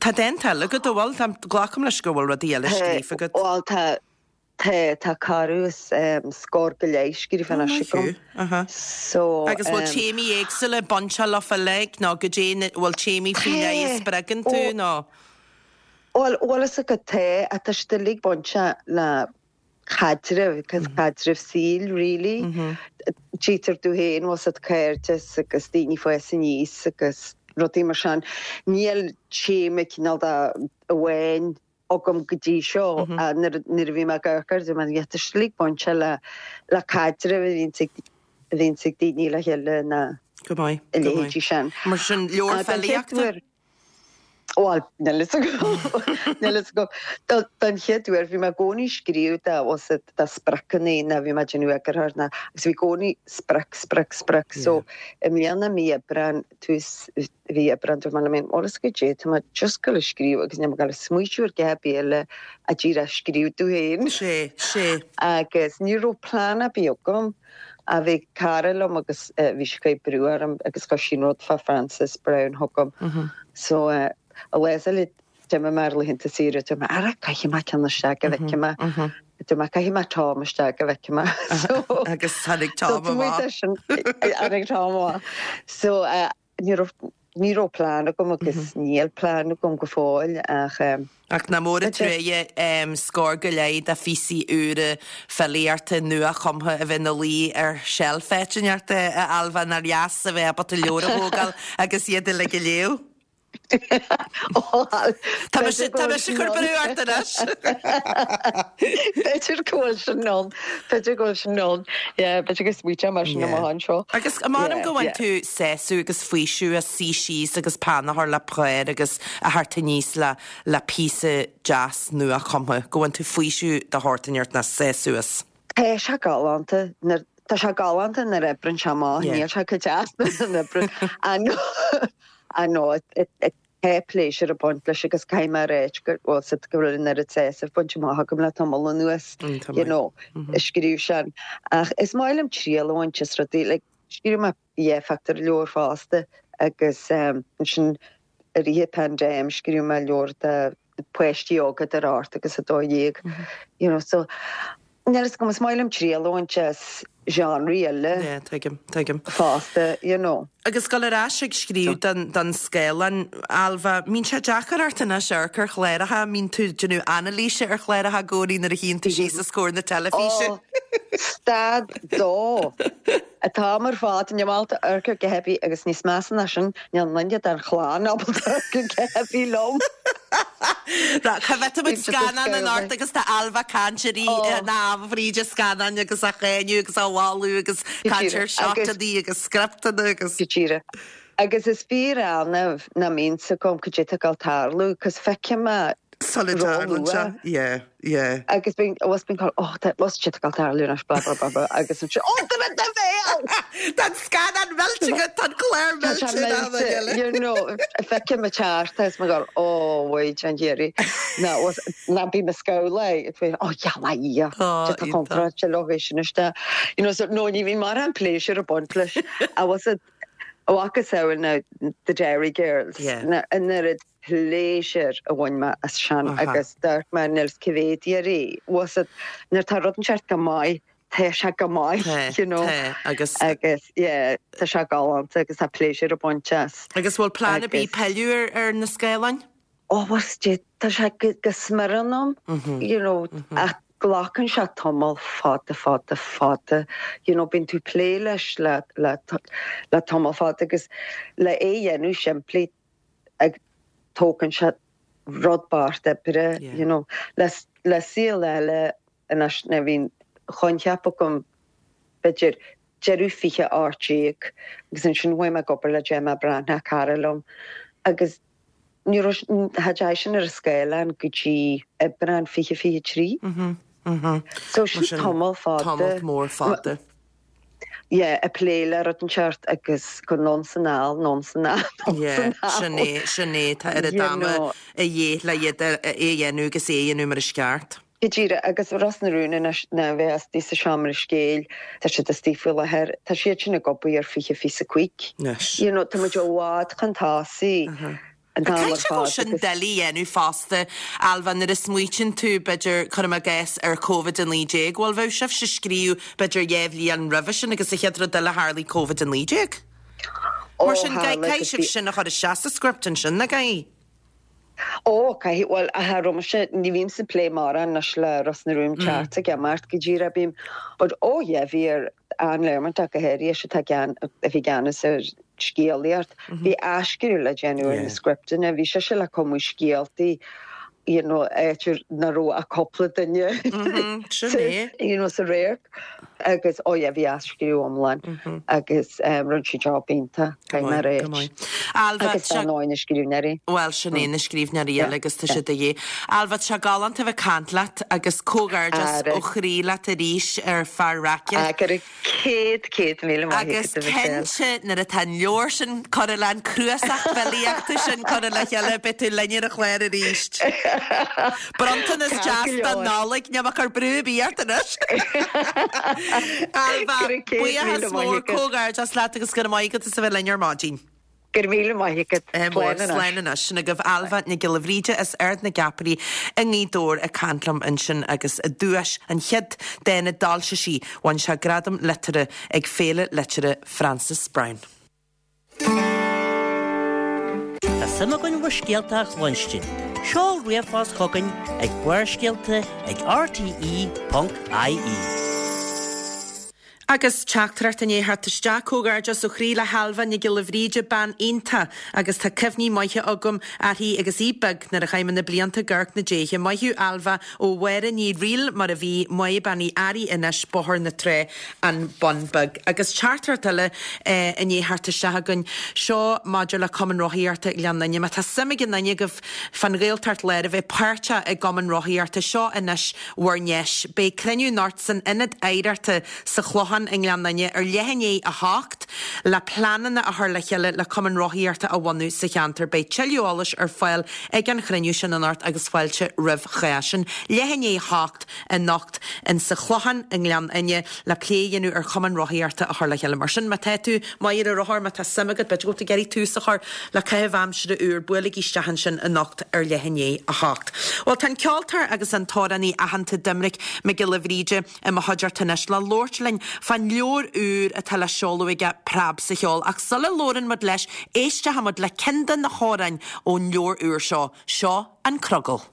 tá dánta eile agat, an bhfuil? Tá, glacaim leis go bhfuil rudaí eile scríofa agat. Bhuel, tá, Tá, tá corradh is scór go leith scríofa anois agam. Aha. So. Agus bhfuil téamaí éagsúla bainteach leofa uilig nó goidé na, bhfuil téamaí faoi leith a spreagann tú nó? Bhuel, bhfuil fhios agat tá, ach tá siad uilig bainteach le caidreamh, agus caidreamh saoil really. Tchítear domh féin, bhfuil 's a'd cairdeas agus daoine ag fás aníos agus rudaí mar sin. Níl téama cineál de amháin agam go dtí seo nuair a bhí mé ag amharc air, dúirt mé, yeah, tá siad uilig bainte le le caidreamh a bhíonns ag a bhíonns ag daoine le chéile nó Go maith, a go maith. leithéidí sin. Mar sin, leabhar filíochta? Bhuel, níl fhios agam, níl fhios agam. Don chéad uair, bhí mé i gcónaí ag scríobh de, bhfuil 's a'd, de spriocanna nó bhí mé ag déanamh eagarthóir nó agus bhí i gcónaí sprioc, sprioc, sprioc. So, i mbliana, mí Aibreáin, tús mhí Aibreáin, dúirt mé liom féin, bhfuil fhios agat goidé, tá mé just ag dul a scríobh agus níl mé ag dul a smaoitiú ar dhath ar bith eile ach díreach scríobh domh féin. Sé, sé. Agus ní raibh plean ar bith agam ach bhí cara liom agus bhí sí ag cur brú orm agus chuir sí an rud fá Frances Browne chugam. So, a lá eile D'imigh mé ar laethanta saoire, dúirt mé, ara, caithfidh mé ceann isteach go bhfeicfidh mé. Dúirt mé, caithfidh mé Tom isteach go bhfeicfidh mé. So, Agus tháinig Tom amach. Tháinig Tom amach. So, ní raibh, ní raibh plean agam agus níl plean agam go fóill ach. Ach nach mór an truaighe scór go leith de phíosaí úra filíochta nua-chumtha a bheith ina luí ar sheilf áit inteacht, a Ailbhe, nár dheas a bheith ábalta leabhar a thógáil agus iad uilig a léamh. Tá mise tá mise ag cur brú ort anois. B'fhéidir go bhfuil sin ann. B'fhéidir go bhfuil sin ann. Yeah, b'fhéidir go smaoiteoidh mé sin amach anseo. Agus m'anam go bhfaigheann tú sásamh agus faoiseamh as suí síos agus peann a chur le pár agus a theacht aníos le le píosa deas nua-chumtha, go bhfaigheann tú faoiseamh de shórt inteacht nó sásamh as. Tá sé galánta nuair tá sé galánta nuair a oibreann sé amach, níl sé chomh deas nuair a oibreann. I know, tá pléisiúr ag baint leis agus caithfidh mé a ráit go bhfuil 's a'd go bhfuil an oiread sásaimh bainte amach agam le tamall anuas, you know, ag scríobh sin. Ach is maith liom triail a bhaint as rudaí, like, scríobh mé dhá phictiúrleabhar fosta agus ansin i rith an paindéim scríobh mé leabhar do páistí óga idir 8 agus 12, you know, so níl 'fhios agam, is maith liom triail a bhaint as genres eile Yeah, tuigim, tuigim. fosta, you know. Agus dul ar ais ag scríobh don, don scáileán, Ailbhe, mbíonn sé deacair ort anois amharc ar chláracha, mbíonn tú ag déanamh anailíse ar chláracha i gcónaí nuair a shuíonn tú síos os comhair na teilifíse? Ó, stad dó! An t-am ar fad, níl mé ábalta amharc ar dhath ar bith agus níos measa ná sin, níl aon duine den chlann ábalta amharc ar dhath ar bith liom. Cá bhfeicfidh muid scannán anocht agus tá Ailbhe ag caint ar na fríd an scannáin agus á cháineadh agus á mholadh agus caint ar seotanna agus scripteanna agus. Go díreach. Agus is fíor-annamh nach mbíonn 's agam cad é atá ag dul tarlú, 'cause feicfidh mé. Sula dtarlann sé, yeah, yeah. Agus bíonn, bhfuil bíonn call, oh, tá, bhfuil sé ag tarlú anois, blah, blah, blah, blah, agus ansin, oh, tá mé do bhéal! Tá an scannán millte agat, tá an clár Tá sé millte in am millte, eile. you know, feicim an teart agus mé ag gabháil, oh, wait, an iarraidh. Ná, bhfuil, ná bím ag scamhladh, ag féin, oh, yeah, yeah, Oh, tá iontach. contráilte leo é sin isteach. You know, so, no, ní bhíonn mórán pléisiúr ag baint leis. I was a, a mhacasamhail na The Derry Girls, Yeah. na, an oiread pléisiúr a bhain mé as sin agus d'amharc mé níl 's cá mhéad iarraidh was it nuair atá rud inteacht go maith tá sé go maith Tá, you know tá, agus. agus yeah tá sé galánta agus tá pléisiúr ag baint as. Agus bhfuil plean ar bith Agus. pilleadh ar ar na scáileáin? Oh was it tá sé go go smior ionam you know ach glacann sé tamall fada fada fada you know bíonn tú ag plé leis le le le tamall fada agus le é a dhéanamh simplí ag tógann sé rud beart oibre, you know. Le le saol eile anois nuair a bhí an coincheap agam b'fhéidir deireadh 2018 agus ansin chuaigh mé ag obair le Gemma Breathnach, cara liom, agus ní raibh cha dteachaigh sin ar an scáileán go dtí Aibreán 2023. So sin tamall fada. Tamall mór fada. yeah, ag plé le rud inteacht agus go anonn 's anall, anonn 's anall, anonn 's Yeah, anall. sin é, sin é, tá oiread You ama know. a dhíth le iad a, é a dhéanamh agus é a dhéanamh mar is ceart. Go díreach, agus Ros na Rún anois ná a bheith istigh sa seomra scéil, tá siad istigh faoi láthair, tá siad sin ag obair ar 2025. Anois. You know, tá muid i bhfad chun tosaigh. Uh-huh. an t-am ar Caithfidh sé go bhfuil fad sin agus. doiligh a dhéanamh fosta, Ailbhe, nuair a smaoitíonn tú, b'fhéidir, cuirim i gcás, ar Covid-19, bhuel, bheadh sibhse ag scríobh b'fhéidir dhéá bhliain roimhe sin agus an chéad rud eile tharlaigh Covid-19. Ó, Mar sin, tharla caithfidh agus sibh bhí. sin a chur isteach sa script ansin, nach gcaithfidh? Ó, caithfidh, bhuel, cha raibh mise, ní bhímse ag plé mórán anois le Ros na Rún ceart ag imeacht go díreach, bím, but ó yeah, bhí ar Ann Learmont ach go háirithe, ise atá i gceann, a bhí i gceannas ar scéalaíocht, bhí athscríobh le déanamh ar na scripteanna, bhí sise le cumadh scéaltaí, you know, áit ar nach raibh ach cúpla duine Sin é. you know, sa radharc agus oh yeah, bhí athscríobh iomlán agus rinne sí job iontach, caithfidh mé a Go ráit. maith. Ailbhe, Agus tá ar ndóigh na scríbhneoirí. Bhuel, sin é, na scríbhneoirí eile agus tá siad de dhíth. Ailbhe, tá sé galánta a bheith ag caint leat agus comhghairdeas ó chroí leat arís ar Fear Raice. Ah, go raibh 100,000 maith Agus agat, a Mhichelle. cinnte, nuair atá an leabhar sin curtha le, an cnuasach filíochta sin curtha le chéile, beidh tú linn ar an chlár arís. Bronntanas Ceart deas go don leor. Nollaig, níl mé ag cur brú ar bith ort anois. Ailbhe, Go raibh 100,000 buíochas maith mór, agat. comhghairdeas leat agus go raibh maith agat as a bheith linn ar maidin. Go raibh míle maith agat. Mór, Slán anois. slán anois. Sin agaibh Ailbhe Nic Giolla Bhríde as Ard na gCeapairí i nGaoth Dobhair ag caint liom ansin agus a duais, an chéad dán a d'fhoilsigh sí, bhain sé Gradam Liteartha ag Féile Liteartha Frances Browne. Tá suim againn bhur scéalta a chluinstin. Seol ríomhphost chugainn ag barrscéalta ag rte.ie. Agus teachtaireacht i ndiaidh theacht isteach, Comhghairdeas ó chroí le hAilbhe Nic Giolla Bhríde, bean iontach agus tá cuimhní maithe agam uirthi agus í beag nuair a chaith mé na blianta ag amharc na déithe. Maith thú Ailbhe ó Mháire Ní Fhrighil mar a bhí Máire Bean Uí Fhearraigh anois, Bóthar na Trá, An Bun Beag. Agus teachtaireacht eile i ndiaidh theacht isteach againn, seo maidir le Cumann Rothaíochta Ghleann Fhinne. Má tá suim ag aon duine agaibh fán Ghaeltacht Láir a bheith páirteach i gCumann Rothaíochta, seo anois bhur ndeis. Beidh cruinniú anocht san Ionad Oidhreachta sa Chlochán i nGleann Fhinne ar leath i ndiaidh 8 le pleananna a chur le chéile le cumann rothaíochta a bhunú sa cheantar. Beidh tuilleadh eolais ar fáil ag an chruinniú sin anocht agus fáilte roimh chách. Sin leath i ndiaidh 8 anocht in sa Chlochán i nGleann Fhinne le plé a dhéanamh ar chumann rothaíochta a chur le chéile. Mar sin, má tá tú maith ar an rothar, má tá suim agat, b'fhéidir go bhfuil tú ag iarraidh tús a chur le caitheamh aimsire úr, buailigí isteach ansin anocht ar leath i ndiaidh 8. Bhuel, tá an ceoltóir agus an t-amhránaí aitheanta Doimnic Mac Giolla Bhríde i mo chuideachta anois le labhairt linn fán leabhar úr atá le seoladh aige, Preab sa Cheol. Ach sula labhrann muid leis, éisteoidh muid le ceann de na hamhráin ón leabhar úr seo. Seo An Crogall.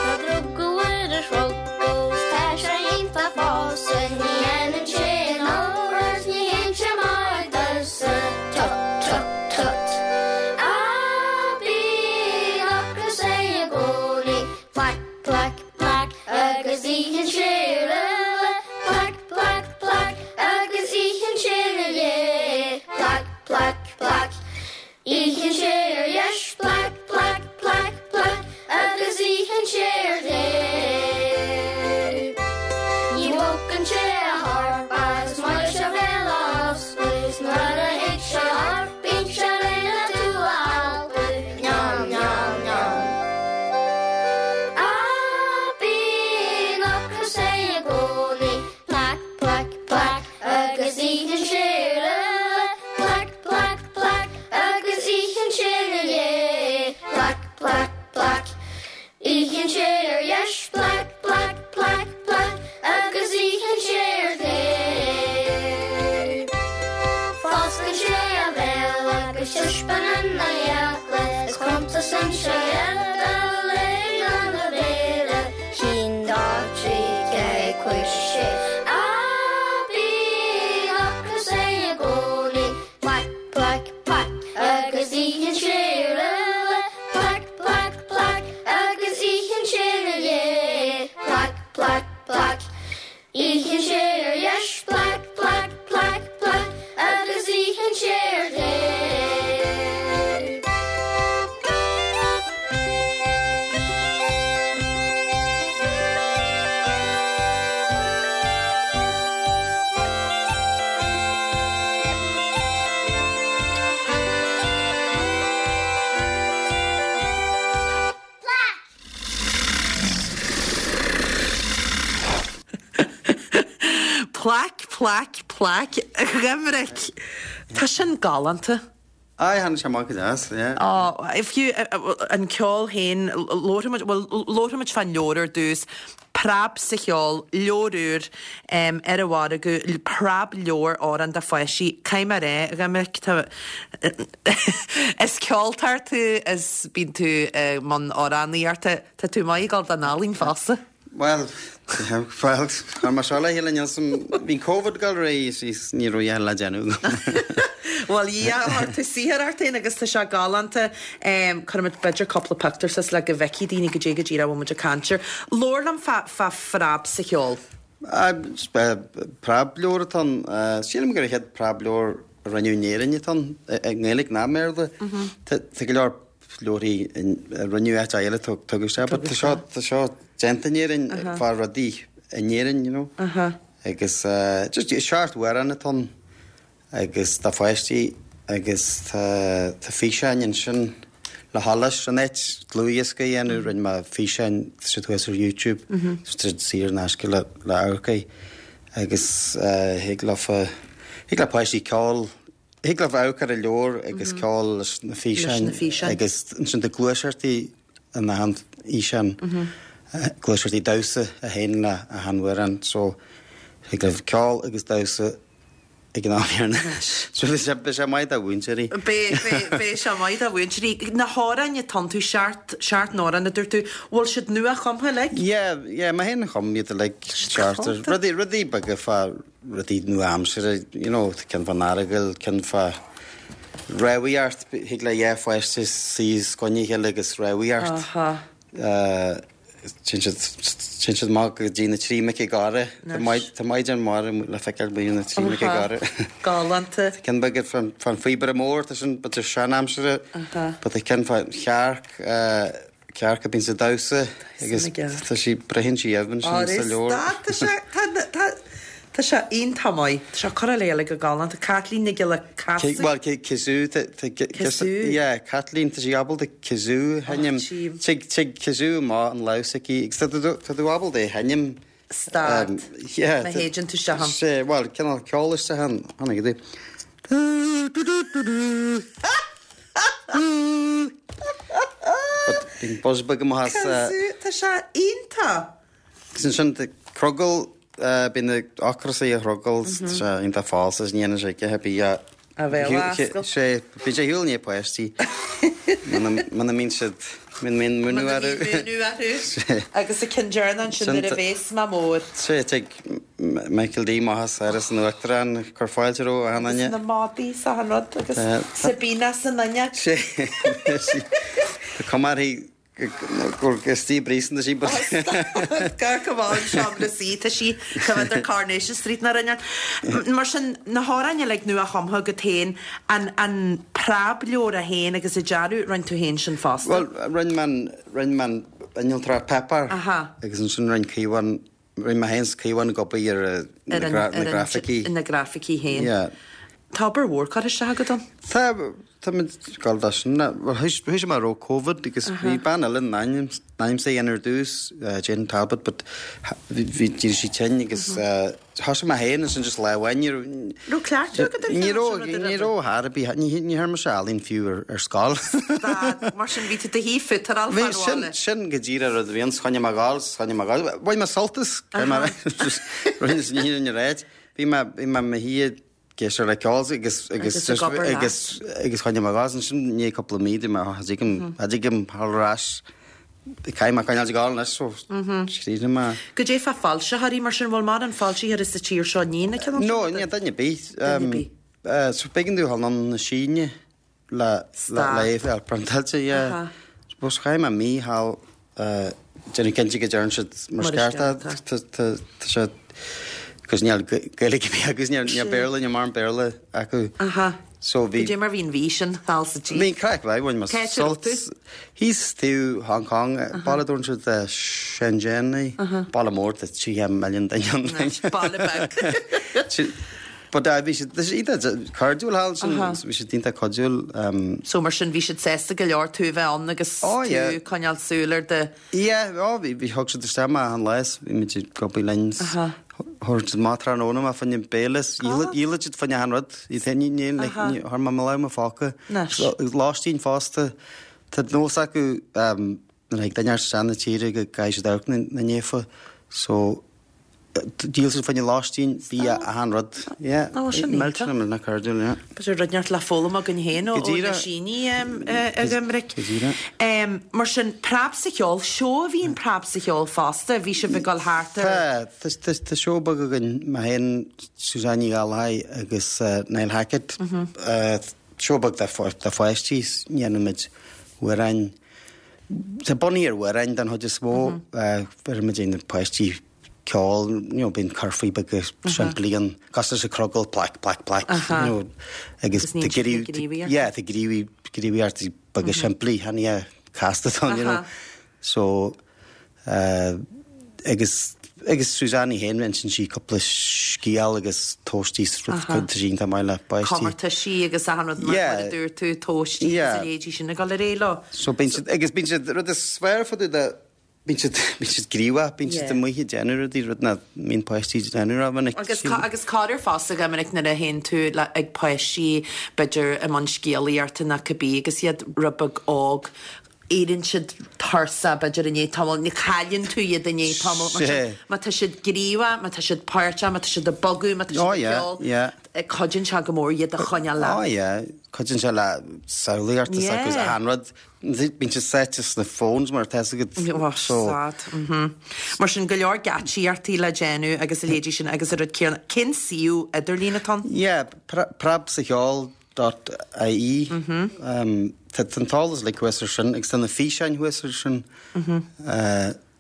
Tá drogall ar an chrogall 's tá sé iontach fosa, ní dhéanann sé an obair 's ní théann sé amach domhsa, tut tut tut. A B. Plaic, plaic, plaic, a Dhoiminic. Tá sin galánta. Aye, tháinig sé amach go deas, yeah. Á, fiú an ceol féin, labharfaidh muid, bhuel, labharfaidh muid fán leabhar ar dtús, Preab sa Cheol, leabhar úr ar an mhargadh, preab-leabhar amhrán do pháistí. Caithfidh mé a rá, a Dhoiminic, tá, is ceoltóir tú, is bíonn tú i mbun amhránaíochta, tá tú maith ag dul don ealaín fosta. Bhuel, bhuel, chuir mé seo le chéile, níl 's a'm, bhí Covid ag dul ar aghaidh is ní raibh a dhath le déanamh agam. Bhuel, yeah, chuir tú saothar ort féin agus tá sé galánta. Cuirfimid b'fhéidir cúpla pictiúr suas le go bhfeicfidh daoine goidé go díreach a bhfuil muid ag caint air. Labhair liom fá, fá Phreab sa Cheol. Preab-leabhar atá ann. Sílim gur an chéad preab-leabhar a rinneadh in Éirinn atá ann, i nGaeilge ná i mBéarla. Tá go leor leabharthaí a rinneadh áit eile tugadh isteach but tá seo tá seo déanta in Éirinn fá rudaí in Éirinn you know agus just seacht amhrán atá ann agus do pháistí agus tá tá físeáin ansin le heolas in áit dlúthdhiosca a dhéanamh rinne mé físeáin tá siad thuas ar YouTube tá siad saor in aisce le le amharc air agus thig leofa thig le páistí ceol Thig leofa amharc ar an leabhar agus ceol leis na físeáin agus ansin tá gluaiseachtaí in achan fhíseán, gluaiseachtaí damhsa a théann le achan amhrán so thig libh ceol agus damhsa ag an am céanna. So beidh sé beidh sé maith do mhúinteoirí. Beidh beidh beidh sé maith do mhúinteoirí. Na hamhráin atá iontu, seacht seacht n-amhrán a dúirt tú, bhfuil siad nua-chumtha uilig? Yeah yeah mé féin a chum iad uilig, seachtar. Rudaí rudaí beaga fá rudaí nua-aimseartha, you know, ceann fán Earagail, ceann fá rámhaíocht, thig le dhá pháiste suí os coinne a chéile agus rámhaíocht. Téann siad, téann siad amach go dtí na Trí Mic ag Gáire. Tá tá maighdean mhara le feiceáil amuigh na Trí Mic ag Gáire. Galánta. Tá ceann beag fán, fán phíobaire mór, tá sin b'fhéidir sean-aimseartha, but tá ceann fán chearc, Cearc a bíonn sa damhsa agus tá sí, braitheann sí uaibh ansin sa leabhar. Tá sé, tá, tá, tá sé iontach maith. Tá sé curtha le chéile go galánta. Caitlín Nic Giolla Casú. Bhuel, kazoo, tá, tá, Kazoo. yeah, Caitlín, tá sí ábalta kazoo a sheinm. Tig, tig kazoo amach an lámh s'aici agus tá tú, tá tú ábalta é a sheinm. Stad. Yeah. Má shéideann tú isteach ann. Sé, bhuel, cineál ceol isteach ann. Tháinig go dtí. But bíonn buzz beag amach as. Kazoo, tá sé iontach. Agus ansin tá crogall, bíonn na ocras ag an chrogall, tá sé iontach falsa, is ní dhéanann sé a dhath ar bith. A bheith á ascaill. Sé, bíonn sé ar shiúl i ndiaidh páistí. Muna mbíonn siad, muna mbíonn múineadh orthu. Muna mbíonn múineadh orthu. Sé. Agus an ceann deireanach ansin nuair a bhéas mé mór. Sé, tig Michael D amach as Áras an Uachtaráin ag cur fáilte roimh achan Agus duine. na madaí is achan rud agus Sabina san fhuinneog. Sé, tá cuma uirthi gur istigh i bpríosún tá sí but. Gar go bhfuil an seomra suí, tá sí coimhéad ar Coronation Street ná rinne. Mar sin, na hamhráin uilig nua-chumtha agat féin, an an preableabhar é féin agus an dearadh, rinne tú féin sin fosta? Bhuel, rinne mé an, rinne mé an innealtóireacht Pepper agus ansin rinne Caomhán Rinne mé féin 's Caomhán ag obair ar na grafaicí. Ar na grafaicí féin. Yeah. Tá obair mhór curtha isteach agat ann. Tá, tá muid ag gabháil dó sin. Bhuel, thoisigh mé roimh Covid agus bhí bean eile in ainm is é a dhéanamh ar dtús, Jane Talbot, but bhí, d'éirigh sí tinn agus thosaigh mé féin ansin just lá amháin, ní raibh. Raibh cleachtadh agat ar Ní raibh, ní raibh ar bith, ní dhearna mise ealaín fiú ar scoil. Stad, mar sin bhí tú i do shuí futáráil fán bhaile. Sin go díreach rud a bhí ann, choinnigh mé ag gabháil, choinnigh mé ag gabháil. Bhain mé sult as, rinne sin ní an réid. Bhí mé, bhí mé i mo shuí ag éisteacht le ceol agus, agus, agus, agus choinnigh mé ag gabháil. Ansin i ndiaidh cúpla mí, dúirt mé, cha dtig liom, cha dtig liom dhul ar ais. Caithfidh mé coinneáil ag gabháil anois, so scríobhfaidh mé. Goidé fá foilsitheoirí mar sin, bhfuil mórán foilsitheoirí sa tír seo ní na cineál sin? No, níl duine ar bith. Duine ar bith. So b'éigean domh dhul anonn na Síne le le é fáil priontáilte, yeah. Suppose chaith mé mí thall déanamh cinnte go dtearn siad mar is ceart é. Tá sé, cos níl Gaeilge ar bith acu, níl Béarla, níl mórán Béarla acu. So bhí. Goidé mar bhí an mhí sin thall sa tSín? Bhí an craic mhaith, bhain mé sult. Thíos taobh Hong Kong, baile a dtabharann siad Shenzhen é, baile mór tá 30 milliún duine ann. Baile beag. But bhí siad, tá siad iontach cairdiúil thall ansin, bhí siad iontach cuidiúil. So mar sin bhí siad sásta go leor tú a bheith ann agus tú ag coinneáil súil ar do. Yeah, oh bhí, bhí, thug siad isteach mé achan lá is bhí muid ag obair linn. Thabharfadh siad amach tráthnóna mé fá choinne béile is dhíolfadh siad fá choinne achan rud. Iad féin, ní, ní, like, ní, chuir mé mo lámh i mo phóca. Agus lóistín fosta. Tá nós acu nuair a thig duine isteach na tíre go gcaithfidh siad amharc na naofa. So, Díol siad fá choinne lóistín, bia, achan rud. Yeah. Ó, sin iontach. Millteanach, millteanach cairdiúil, yeah. B'fhéidir rud inteacht le foghlaim againn féin ó na Sínigh, a Dhoiminic. Go díreach. Mar sin, Preab sa Cheol, seó a bhí in Preab sa Cheol fosta, bhí sibh ag dul thart ar. Tá, tá seó beag againn, mé féin, Suzanne Ní Ghallchóir agus Niall Hackett. Seó beag do pháistí, déanaimid amhráin, Tá bunaithe ar amhráin den chuid is mó. Bheirimid ar na páistí ceol, you know, bíonn curfaí beaga simplí ann, cosúil leis an crogall, plaic, plaic, plaic, you know, agus tá gníomhaíocht, yeah, tá gníomhaíochtaí beaga simplí, chan é casta atá ann, you know. So, Agus agus Suzanne í féin, insíonn sí cúpla scéal agus tomhaistí is rud tá sí iontach maith le páistí. Comórtaisí agus achan rud mar mar a dúirt tú, tomhaistí agus a leithéidí sin ag dul ar aghaidh leo. So bíonn siad, agus bíonn siad, rud is fearr fá dtaobh de, bíonn siad, bíonn siad gníomhach, bíonn siad amuigh ag déanamh rudaí, rud nach mbíonn páistí ag déanamh rómhinic. Agus agus corruair fosta go minic nuair a théann tú le ag páistí b'fhéidir i mbun scéalaíochta nó cibé agus iad rud beag óg, éiríonn siad tuirseach, b'fhéidir, i ndiaidh tamaill, nó cailleann tú iad i ndiaidh tamaill, mar sin, má tá siad gníomhach, má tá siad páirteach, má tá siad ag bogadh, má tá siad ag ceol, cuidíonn sé go mór iad a choinneáil leat. Oh yeah, cuidíonn sé le samhlaíocht is agus achan rud. Bíonn siad sáite sna phones mar atá fhios agat. Oh, sad. Mar sin, go leor geáitsíochtaí le déanamh agus a leithéidí sin agus an rud céanna. Cén suíomh idirlín atá ann? Yeah, Preab sa Cheol. dot ie. Tá an t-eolas uilig thuas ar sin agus tá na físeáin thuas ar sin.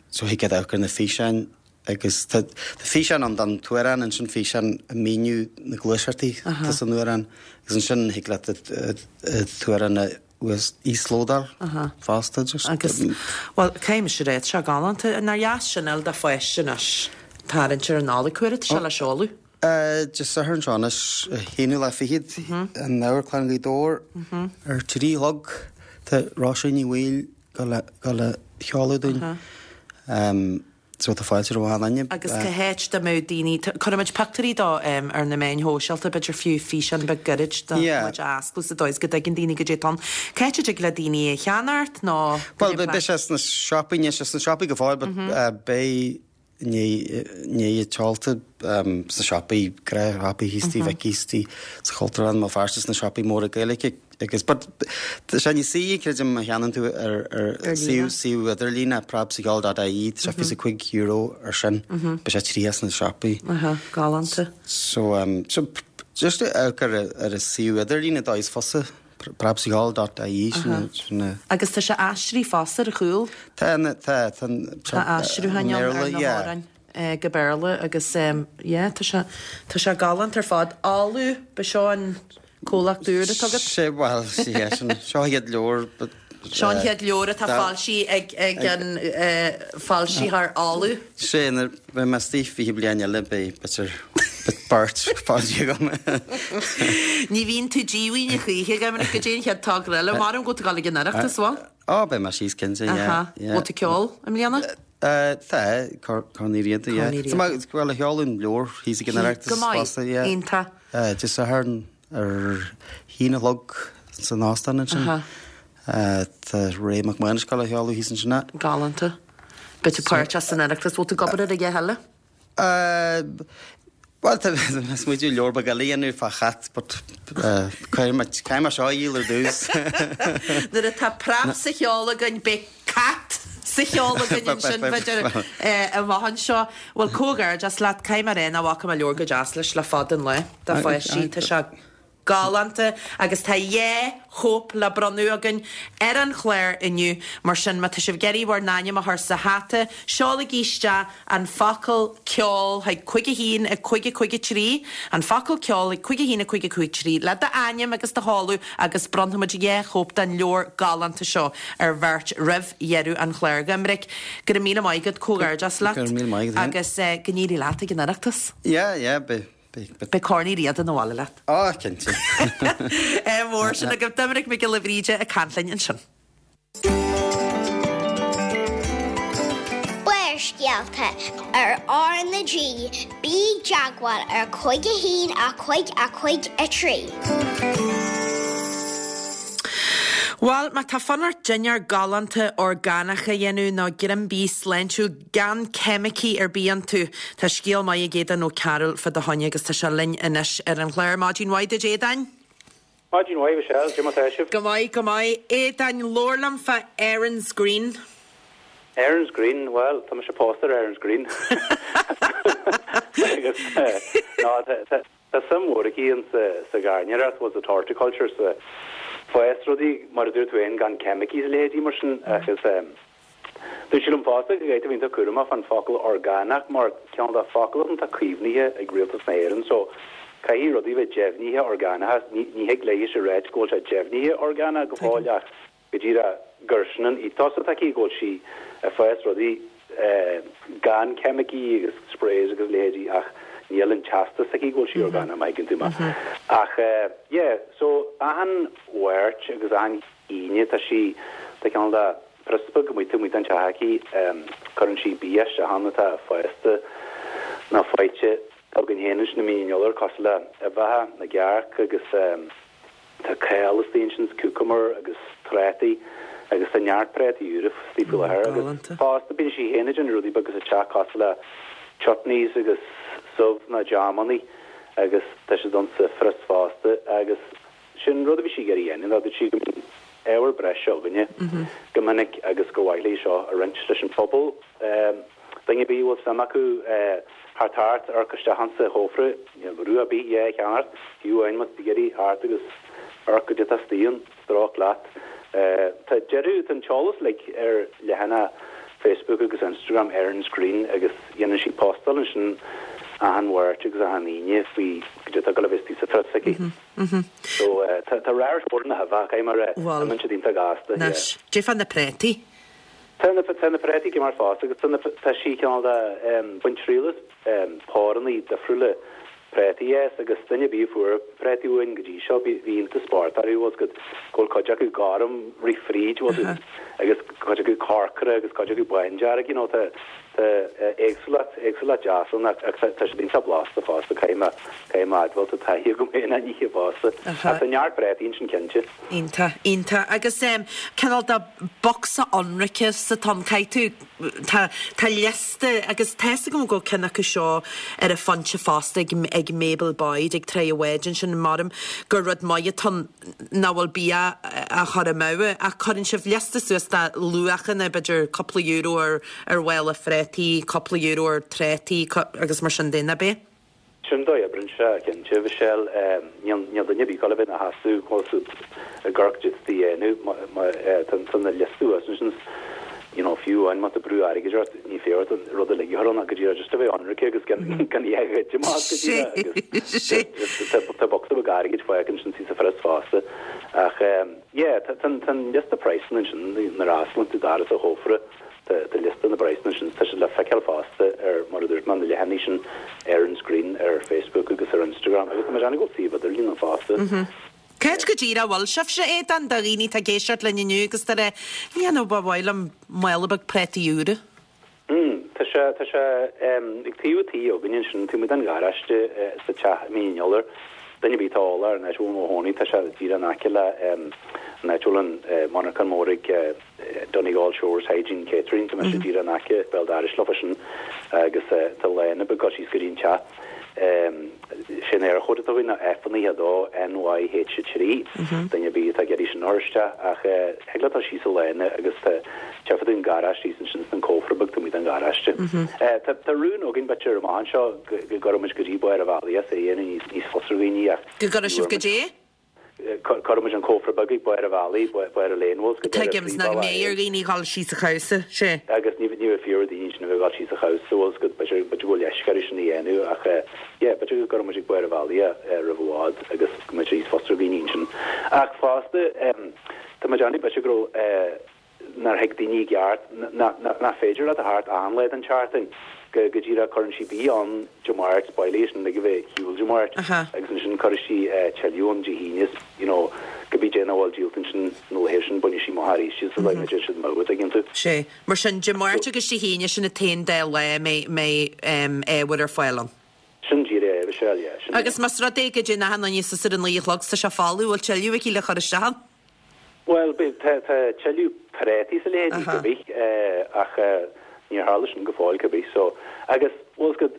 So thig leat amharc ar na físeáin agus tá físeán ann don t-amhrán, ansin físeán ag míniú na gluaiseachtaí atá san amhrán agus ansin thig leat an t-amhrán a íoslódáil fosta. Agus, bhuel, caithfidh mise a rá, tá sé galánta. Nár dheas sin a fháil do pháiste anois tarraingt ar an Nollaig, cá huair atá sé le seoladh? Dé Sathairn seo anois, an t-aonú lá fichead, in Amharclann Ghaoth Dobhair ar 3 a chlog. Tá Róisín Ní Bhaoill ag gabháil a sheoladh dúinn. So tá fáilte roimh achan duine. Agus cá háit dá mbeadh daoine, cuirfimid pictiúirí dó ar na meáin shóisialta, b'fhéidir fiú físeán beag gairid do muid a osclú sa dóigh is go dtuigeann daoine goidé atá ann. Cá háit a dtig le daoine é a cheannacht nó Bhuel, beidh sé sna siopaí, níl sé sna siopaí go fóill but beidh i ndiaidh an tseolta sna siopaí, gnáthshiopaí thíos tigh Mhicí's, tigh sa Chultúrlann i mBéal Feirste sna siopaí móra Gaeilge agus but tá sé níos saoire creidim má cheannaíonn tú ar ar suíomh suíomh idirlíne preabsacheol dot ie tá sé €25 ar sin beidh sé 30 sna siopaí. Aha, galánta. So um so just amharc ar ar an suíomh idirlíne dóigh is fusa. Preabsacheol dot ie sin sin a. Agus tá sé aistrithe fosta ar chúl. Tá tá tá Tá aistriúcháin ann ar na hamhráin go Béarla agus yeah tá sé tá sé galánta ar fad. Uladh, ba seo an comhlacht úr atá agat? Sé bhuel yeah sin seo an chéad leabhar but Seo an chéad leabhar atá foilsithe ag ag an foilsitheoir Uladh. Sé nuair a bheidh mé istigh 20 bliain eile beidh b'fhéidir beirt foilsithe agam. Ní bhíonn tú díomhaoin a choíche, a Dhoiminic, go dtí an chéad togra eile. Maram go bhfuil tú ag dul ag an Oireachtas, bhfuil? Ó, beidh mé síos cinnte, yeah. Bhfuil tú ag ceol i mbliana? Tá, Corn Uí Riada, yeah. Tá mé ag gabháil a sheoladh an leabhar thíos ag an Oireachtas Go maith, fosta, yeah. Iontach. Dé Sathairn ar haon a chlog san óstán ansin. Tá Ray Mac Mánais ag gabháil a sheoladh thíos ansin. Galánta. Beidh tú páirteach san Oireachtas. Bhfuil tú ag obair ar a dhath eile? Bhuel, tá mé ag smaoitiú leabhar beag eile a dhéanamh fá chat but caithfidh mé caithfidh mé seo a dhíol ar dtús. Nuair atá preab sa cheol againn beidh cat sa cheol againn ansin b'fhéidir amach anseo. Bhuel, comhghairdeas leat. Caithfidh mé a rá nach bhfaca mé leabhar chomh deas leis le fada an lá do pháistí. Tá sé galánta agus tá 2 chóip le bronnadh againn ar an chlár inniu. Mar sin, má tá sibh ag iarraidh bhur n-ainm a chur sa hata, seolaigí isteach an focal 'ceol' chuig 5 1 5 5 3, an focal 'ceol' chuig 5 1 5 5 3 le d'ainm agus do sheoladh agus bronnfaimid 2 chóip den leabhar galánta seo ar bheirt roimh dheireadh an chláir. A Dhoiminic, go raibh míle maith agat, comhghairdeas leat Go raibh míle maith agat féin. agus go n-éirí leat ag an Oireachtas. Yeah, yeah, beidh. Beidh Corn Uí Riada 'na bhaile leat. Á, cinnte. Ádh mór sin agaibh. Doiminic Mac Giolla Bhríde ag caint linn ansin. Barrscéalta ar R na G, bí i dteagmháil ar 5 1 5 5 3. Bhuel, má tá fonn ort dinnéar galánta orgánach a dhéanamh nó greim bídh sláintiúil gan ceimicí ar bith iontu, tá scéal maith ag Aodán Ó Cearúil fá do choinne agus tá sé linn anois ar an chlár. Maidin mhaith duit, Aodáin! Maidin mhaith, Michelle. Cad é mar tá sibh? Go maith, go maith. Aodáin, labhair liom fá Erin's Green. Erin's Green, bhuel, tá mise pósta ar Erin's Green. Agus, no, tá suim mhór aici in sa ghairneoireacht, bhuel, sa horticulture, sa fás rudaí, mar a dúirt tú féin, gan ceimicí is a leithéidí mar sin, agus, Dúirt sí liom fosta go gcaithfidh tú a bheith iontach cúramach fán focal orgánach mar cineál de focal atá caomhnaithe ag Rialtas na hÉireann so caithfidh rudaí bheith deimhnithe orgánach. Ní thig léi a ráit go bhfuil sé deimhnithe orgánach go fóill ach go díreach gur sin an ethos atá aici go bhfuil sí ag fás rudaí gan ceimicí agus sprays agus leithéidí ach níl an teastas aici go bhfuil sí orgánach má thuigeann tú mé. Ach yeah so achan Mháirt agus achan Aoine tá sí tá cineál de phrios beag amuigh taobh amuigh den teach aici. Cuireann sí bia isteach ann atá fásta nó faighte againn féin ansin i Mín an Iolair cosúil le uibheacha na gcearc agus tá cál istigh ansin is cucumber agus trátaí agus tá neart prátaí úra istigh faoi láthair agus fosta bíonn sí féin ag déanamh rudaí beaga sa teach cosúil le chutneys agus subh nó jamannaí agus tá siad ann sa phrios fosta agus Sin rud a bhí sí ag iarraidh a dhéanamh, dúirt sí go mbíonn ábhar breise againne go minic agus gur mhaith léi seo a roinnt leis an phobal. Duine ar bith a bhfuil suim acu theacht thart, amharc isteach insa chófra, níl brú ar bith é a cheannacht, fiú amháin má tá tú ag iarraidh theacht agus amharc goidé atá istigh ann, stróic leat. Tá deireadh, tá an t-eolas uilig ar leathanach Facebook agus Instagram Erin's Green agus dhéanann sí postáil ansin achan Mháirt agus achan Aoine faoi goidé atá ag dul a bheith istigh sa phrios aici. So tá radharc mór na huibhe, caithfidh mé a rá. Bhuel, Imíonn siad iontach gasta, yeah. Anois, goidé fá na préataí. Tá na, tá na préataí go maith fosta agus tá na, tá sí cineál de, baint triail as pórannaí difriúla préataí as agus duine ar bith a fuair préataí uainn go dtí seo, bhí, bhí iontas spórt orthu, bhfuil 's agat, go bhfuil cuid acu gorm, rith fríd, bhfuil 's agat, agus cuid acu corcra agus cuid acu bándearg, you know, tá, Tá éagsúlacht, éagsúlacht deas ann ach tá siad iontach blasta fosta, caithfidh mé, caithfidh mé a admháil, tá taithí agam féin á n-ithe fosta. Ach tá neart préataí ansin cinnte. Iontach, iontach. Agus em cineál de bocsa ionraice atá ann, caithfidh tú, tá, tá liosta agus tá fhios agam go bhfuil ceann acu seo ar an Phointe fosta ag, ag Mabel Boyd ag Traigh a' Bháid ansin, maram gur rud maith atá ann nach bhfuil bia á chur amú ach cuireann sibh liosta suas de luachanna, b'fhéidir cúpla euro ar ar mhála phréataí, cúpla euro ar trátaí agus mar sin de, nach ea? Sin dóigh a oibreann sé, cinnte, Mhichelle. Níl níl duine ar bith ag dul a bheith ina sheasamh bhfuil 's agat ag amharc goidé atá a dhéanamh má tá na liosta thuas ansin you know fiú amháin má tá brú airgid ort ní féidir ort an rud uilig a chur ann ach go díreach just a bheith ionraice agus gan gan é a ghoid amach go díreach agus just tá bocsa beag airgid fágtha ansin sa phrios fosta ach yeah tá tá an liosta praghsanna ansin nuair a osclaíonn tú doras an chófra tá tá liosta na bpraghsanna ansin tá siad le feiceáil fosta ar mar a dúirt mé na leathanaigh sin Erin's Green ar Facebook agus ar Instagram agus tá mé ag déanamh go bhfuil suíomh idirlín ann fosta. Cá háit go díreach a bhfuil sibhse, Aodán, do dhaoine atá ag éisteacht linn inniu agus tá rá, you know, ba mhaith liom mála beag préataí úra. Mm, tá sé, tá sé ag taobh an tí againne ansin, taobh amuigh den gharáiste sa teach i Mín an Iolair. Duine ar bith atá eolach ar an áit a bhfuil mo chónaí, tá sé díreach in aice le an áit a bhfuil an monarchan mór ag Donegal Shores Hygiene Catering, tá mise díreach in aice béal dorais leofa sin agus tá lána beag ag dul síos go dtí an teach. Sé an Eirchód atá againn ná F92 NYH3, duine ar bith atá ag iarraidh sin a chur isteach ach thig leat dul síos an lána agus tá tchífidh tú an garáiste thíos ansin is an cófra beag taobh amuigh den gharáiste. Tá rún againn b'fhéidir amach anseo go gcuirfidh muid go dtí barr an bhealaigh é, é a dhéanamh níos fusa ar dhaoine ach Go gcuirfidh sibh go dtí? Cuirfidh muid an cófra beag ag barr an bhealaigh, barr an lane, bhfuil 's agat, ar an Tuigim, 's nach phríomhbhealach mbeidh ar dhaoine dhul síos an chabhsa, sé. Agus ní bheidh fíor ar daoine sin a bheith ag dul síos an chabhsa, bhfuil 's agat, b'fhéidir, b'fhéidir go bhfuil leisce orthu sin a dhéanamh ach yeah, b'fhéidir go gcuirfidh muid ag barr an bhealaigh é roimh i bhfad agus go mbeidh sé níos fusa ar dhaoine ansin. Ach fosta, tá mé ag déanamh, b'fhéidir go raibh, nár thuig daoine i gceart nach féidir leat a theacht achan lá den tseachtain, go díreach cuireann sí bia ann Dé Máirt, bailíonn sin ag a bheith ar shiúl Dé Máirt agus ansin cuirfidh sí tuilleadh ann Dé hAoine is you know go. Cibé dé nach bhfuil díolta ansin na laethe sin, bainfidh sí amach arís iad sa bhaile, déanfaidh siad amú, an dtuigeann tú. Sé. Mar sin, Dé Máirt agus Dé hAoine, sin an t-aon dá lá a mbeidh ábhar ar fáil ann. Sin díreach é, a Mhichelle, yeah, sin é. Agus más rud é go dtéann achan duine suas ar a naoi a chlog, tá sé folamh, bhfuil tuilleadh aici le cur isteach ann? Bhuel, tá tuilleadh prátaí is a leithéidí, cibé, ach níor tharla sin go fóill, cibé. So, agus, bhfuil 's agat,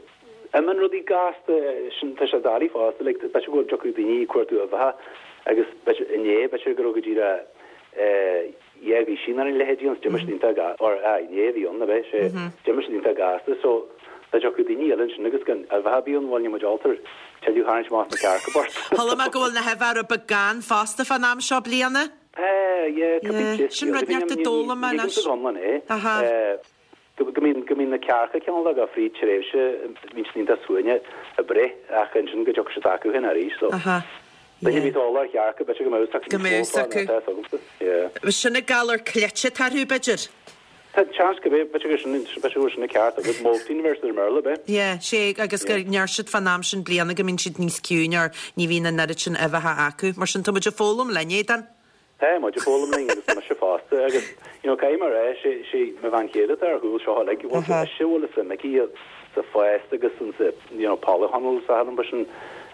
imíonn rudaí gasta, sin, tá sé doiligh fosta, like, b'fhéidir go dtiocfadh daoine ag cuartú uibheacha agus b'fhéidir, inné, b'fhéidir go raibh go díreach dhá dhuisín ar a leithéidí ann, 's d'imigh siad iontach ga, or, aye, inné a bhí ann, ab é, sé, d'imigh siad iontach gasta, so, dá dtiocfadh daoine eile ansin agus gan uibheacha ar bith ann, bhuel, níl muid ábalta tuilleadh a tharraingt amach as na cearca bocht. Chuala mé go bhfuil na huibheacha rud beag gann fosta fán am seo bliana. Tá, yeah, cibé Yeah, sin rud neart a d'fhoghlaim mé anois. Ní thuigimse go hiomlán é. Aha. Go mbíonn, go mbíonn na cearca cineál de fríd tréimhse, bíonn siad iontach suaimhneach ag breith ach ansin go dtiocfaidh siad acu féin arís, so. Aha. Duine a bhí eolach ar chearca, b'fhéidir go mbeadh fhios acu Go mbeadh níos fhios mó fá acu. ná atá fhios agamsa. Yeah. Sin an galar cleite atá orthu, b'fhéidir? Tá seans go b'fhéidir gur sin, b'fhéidir go bhfuil sin an ceart agat, molting a bheir siad ar an mBéarla, ab é? Yeah, sé, agus go Yeah. ndeir siad fán am sin bliana go mbíonn siad níos ciúine or ní bhíonn an oiread sin uibheacha acu. Mar sin, tá muid ag foghlaim linn, Aodán. Tá muid ag foghlaim linn agus tá mise fosta agus, you know, caithfidh mé a rá, sé, sé mo bhean chéile atá ar chúl seo uilig, bhfuil Aha. ise a bhfuil suim aici sa fás agus in sa, you know, polytunnels a thagann sin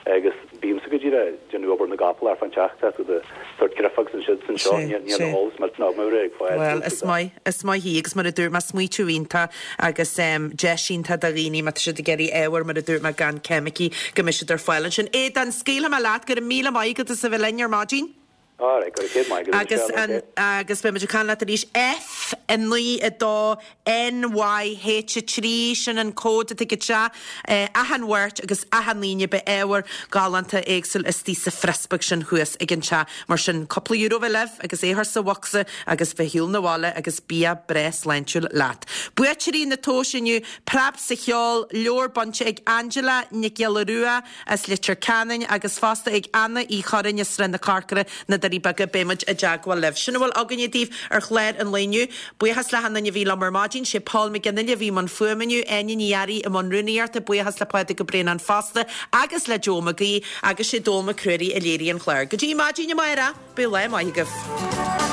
agus bímse go díreach ag déanamh obair na gcapall ar fán teach, tá siad ag tabhairt grif agus ansiúd is anseo, níl eolas millteanach agam ar ag fás. Bhuel, is maith, is maith í agus mar a dúirt mé, smaoitiú iontach agus deis iontach do dhaoine má tá siad ag iarraidh ábhar, mar a dúirt mé, gan ceimicí, go mbeidh siad ar fáil ansin. Aodán, scaoilfidh mé leat, go raibh míle maith agat as a bheith linn ar maidin. Alright, go raibh céad maith agat, Agus Michelle, an, ok. agus beidh muid ag caint leat arís. F 9 2 N Y H 3, sin an cód atá ag an teach. Achan Mháirt agus achan Aoine beidh ábhar galánta éagsúil istigh sa phrios beag sin thuas ag an teach. Mar sin, cúpla euro a bheith libh agus é a chur sa bhocsa agus bheith shiúl na bhaile agus bia breá sláintiúil leat. Buaiteoirí na tomhaise inniu, Preab sa Cheol, leabhar bainte ag Angela Nic Giolla Rua, as Leitir Ceanainn agus fosta ag Anna Uí Churraoin as Srath na Corcra, Na Doirí Beaga. Beidh muid i dteagmháil libh. Sin a bhfuil againne daoibh ar chlár an lae inniu. Buíochas le hachan duine a bhí liom ar maidin. Sé Paul McGinley a bhí i mbun fuaime inniu, Áine Ní Fhearraigh i mbun rúnaíochta, buíochas le Pádraig Ó Braonáin fosta agus le Joe Mac Aoidh agus sé Dónall Mac Ruairí a léirigh an clár. Go dtí maidin amárach, bíodh lá maith agaibh.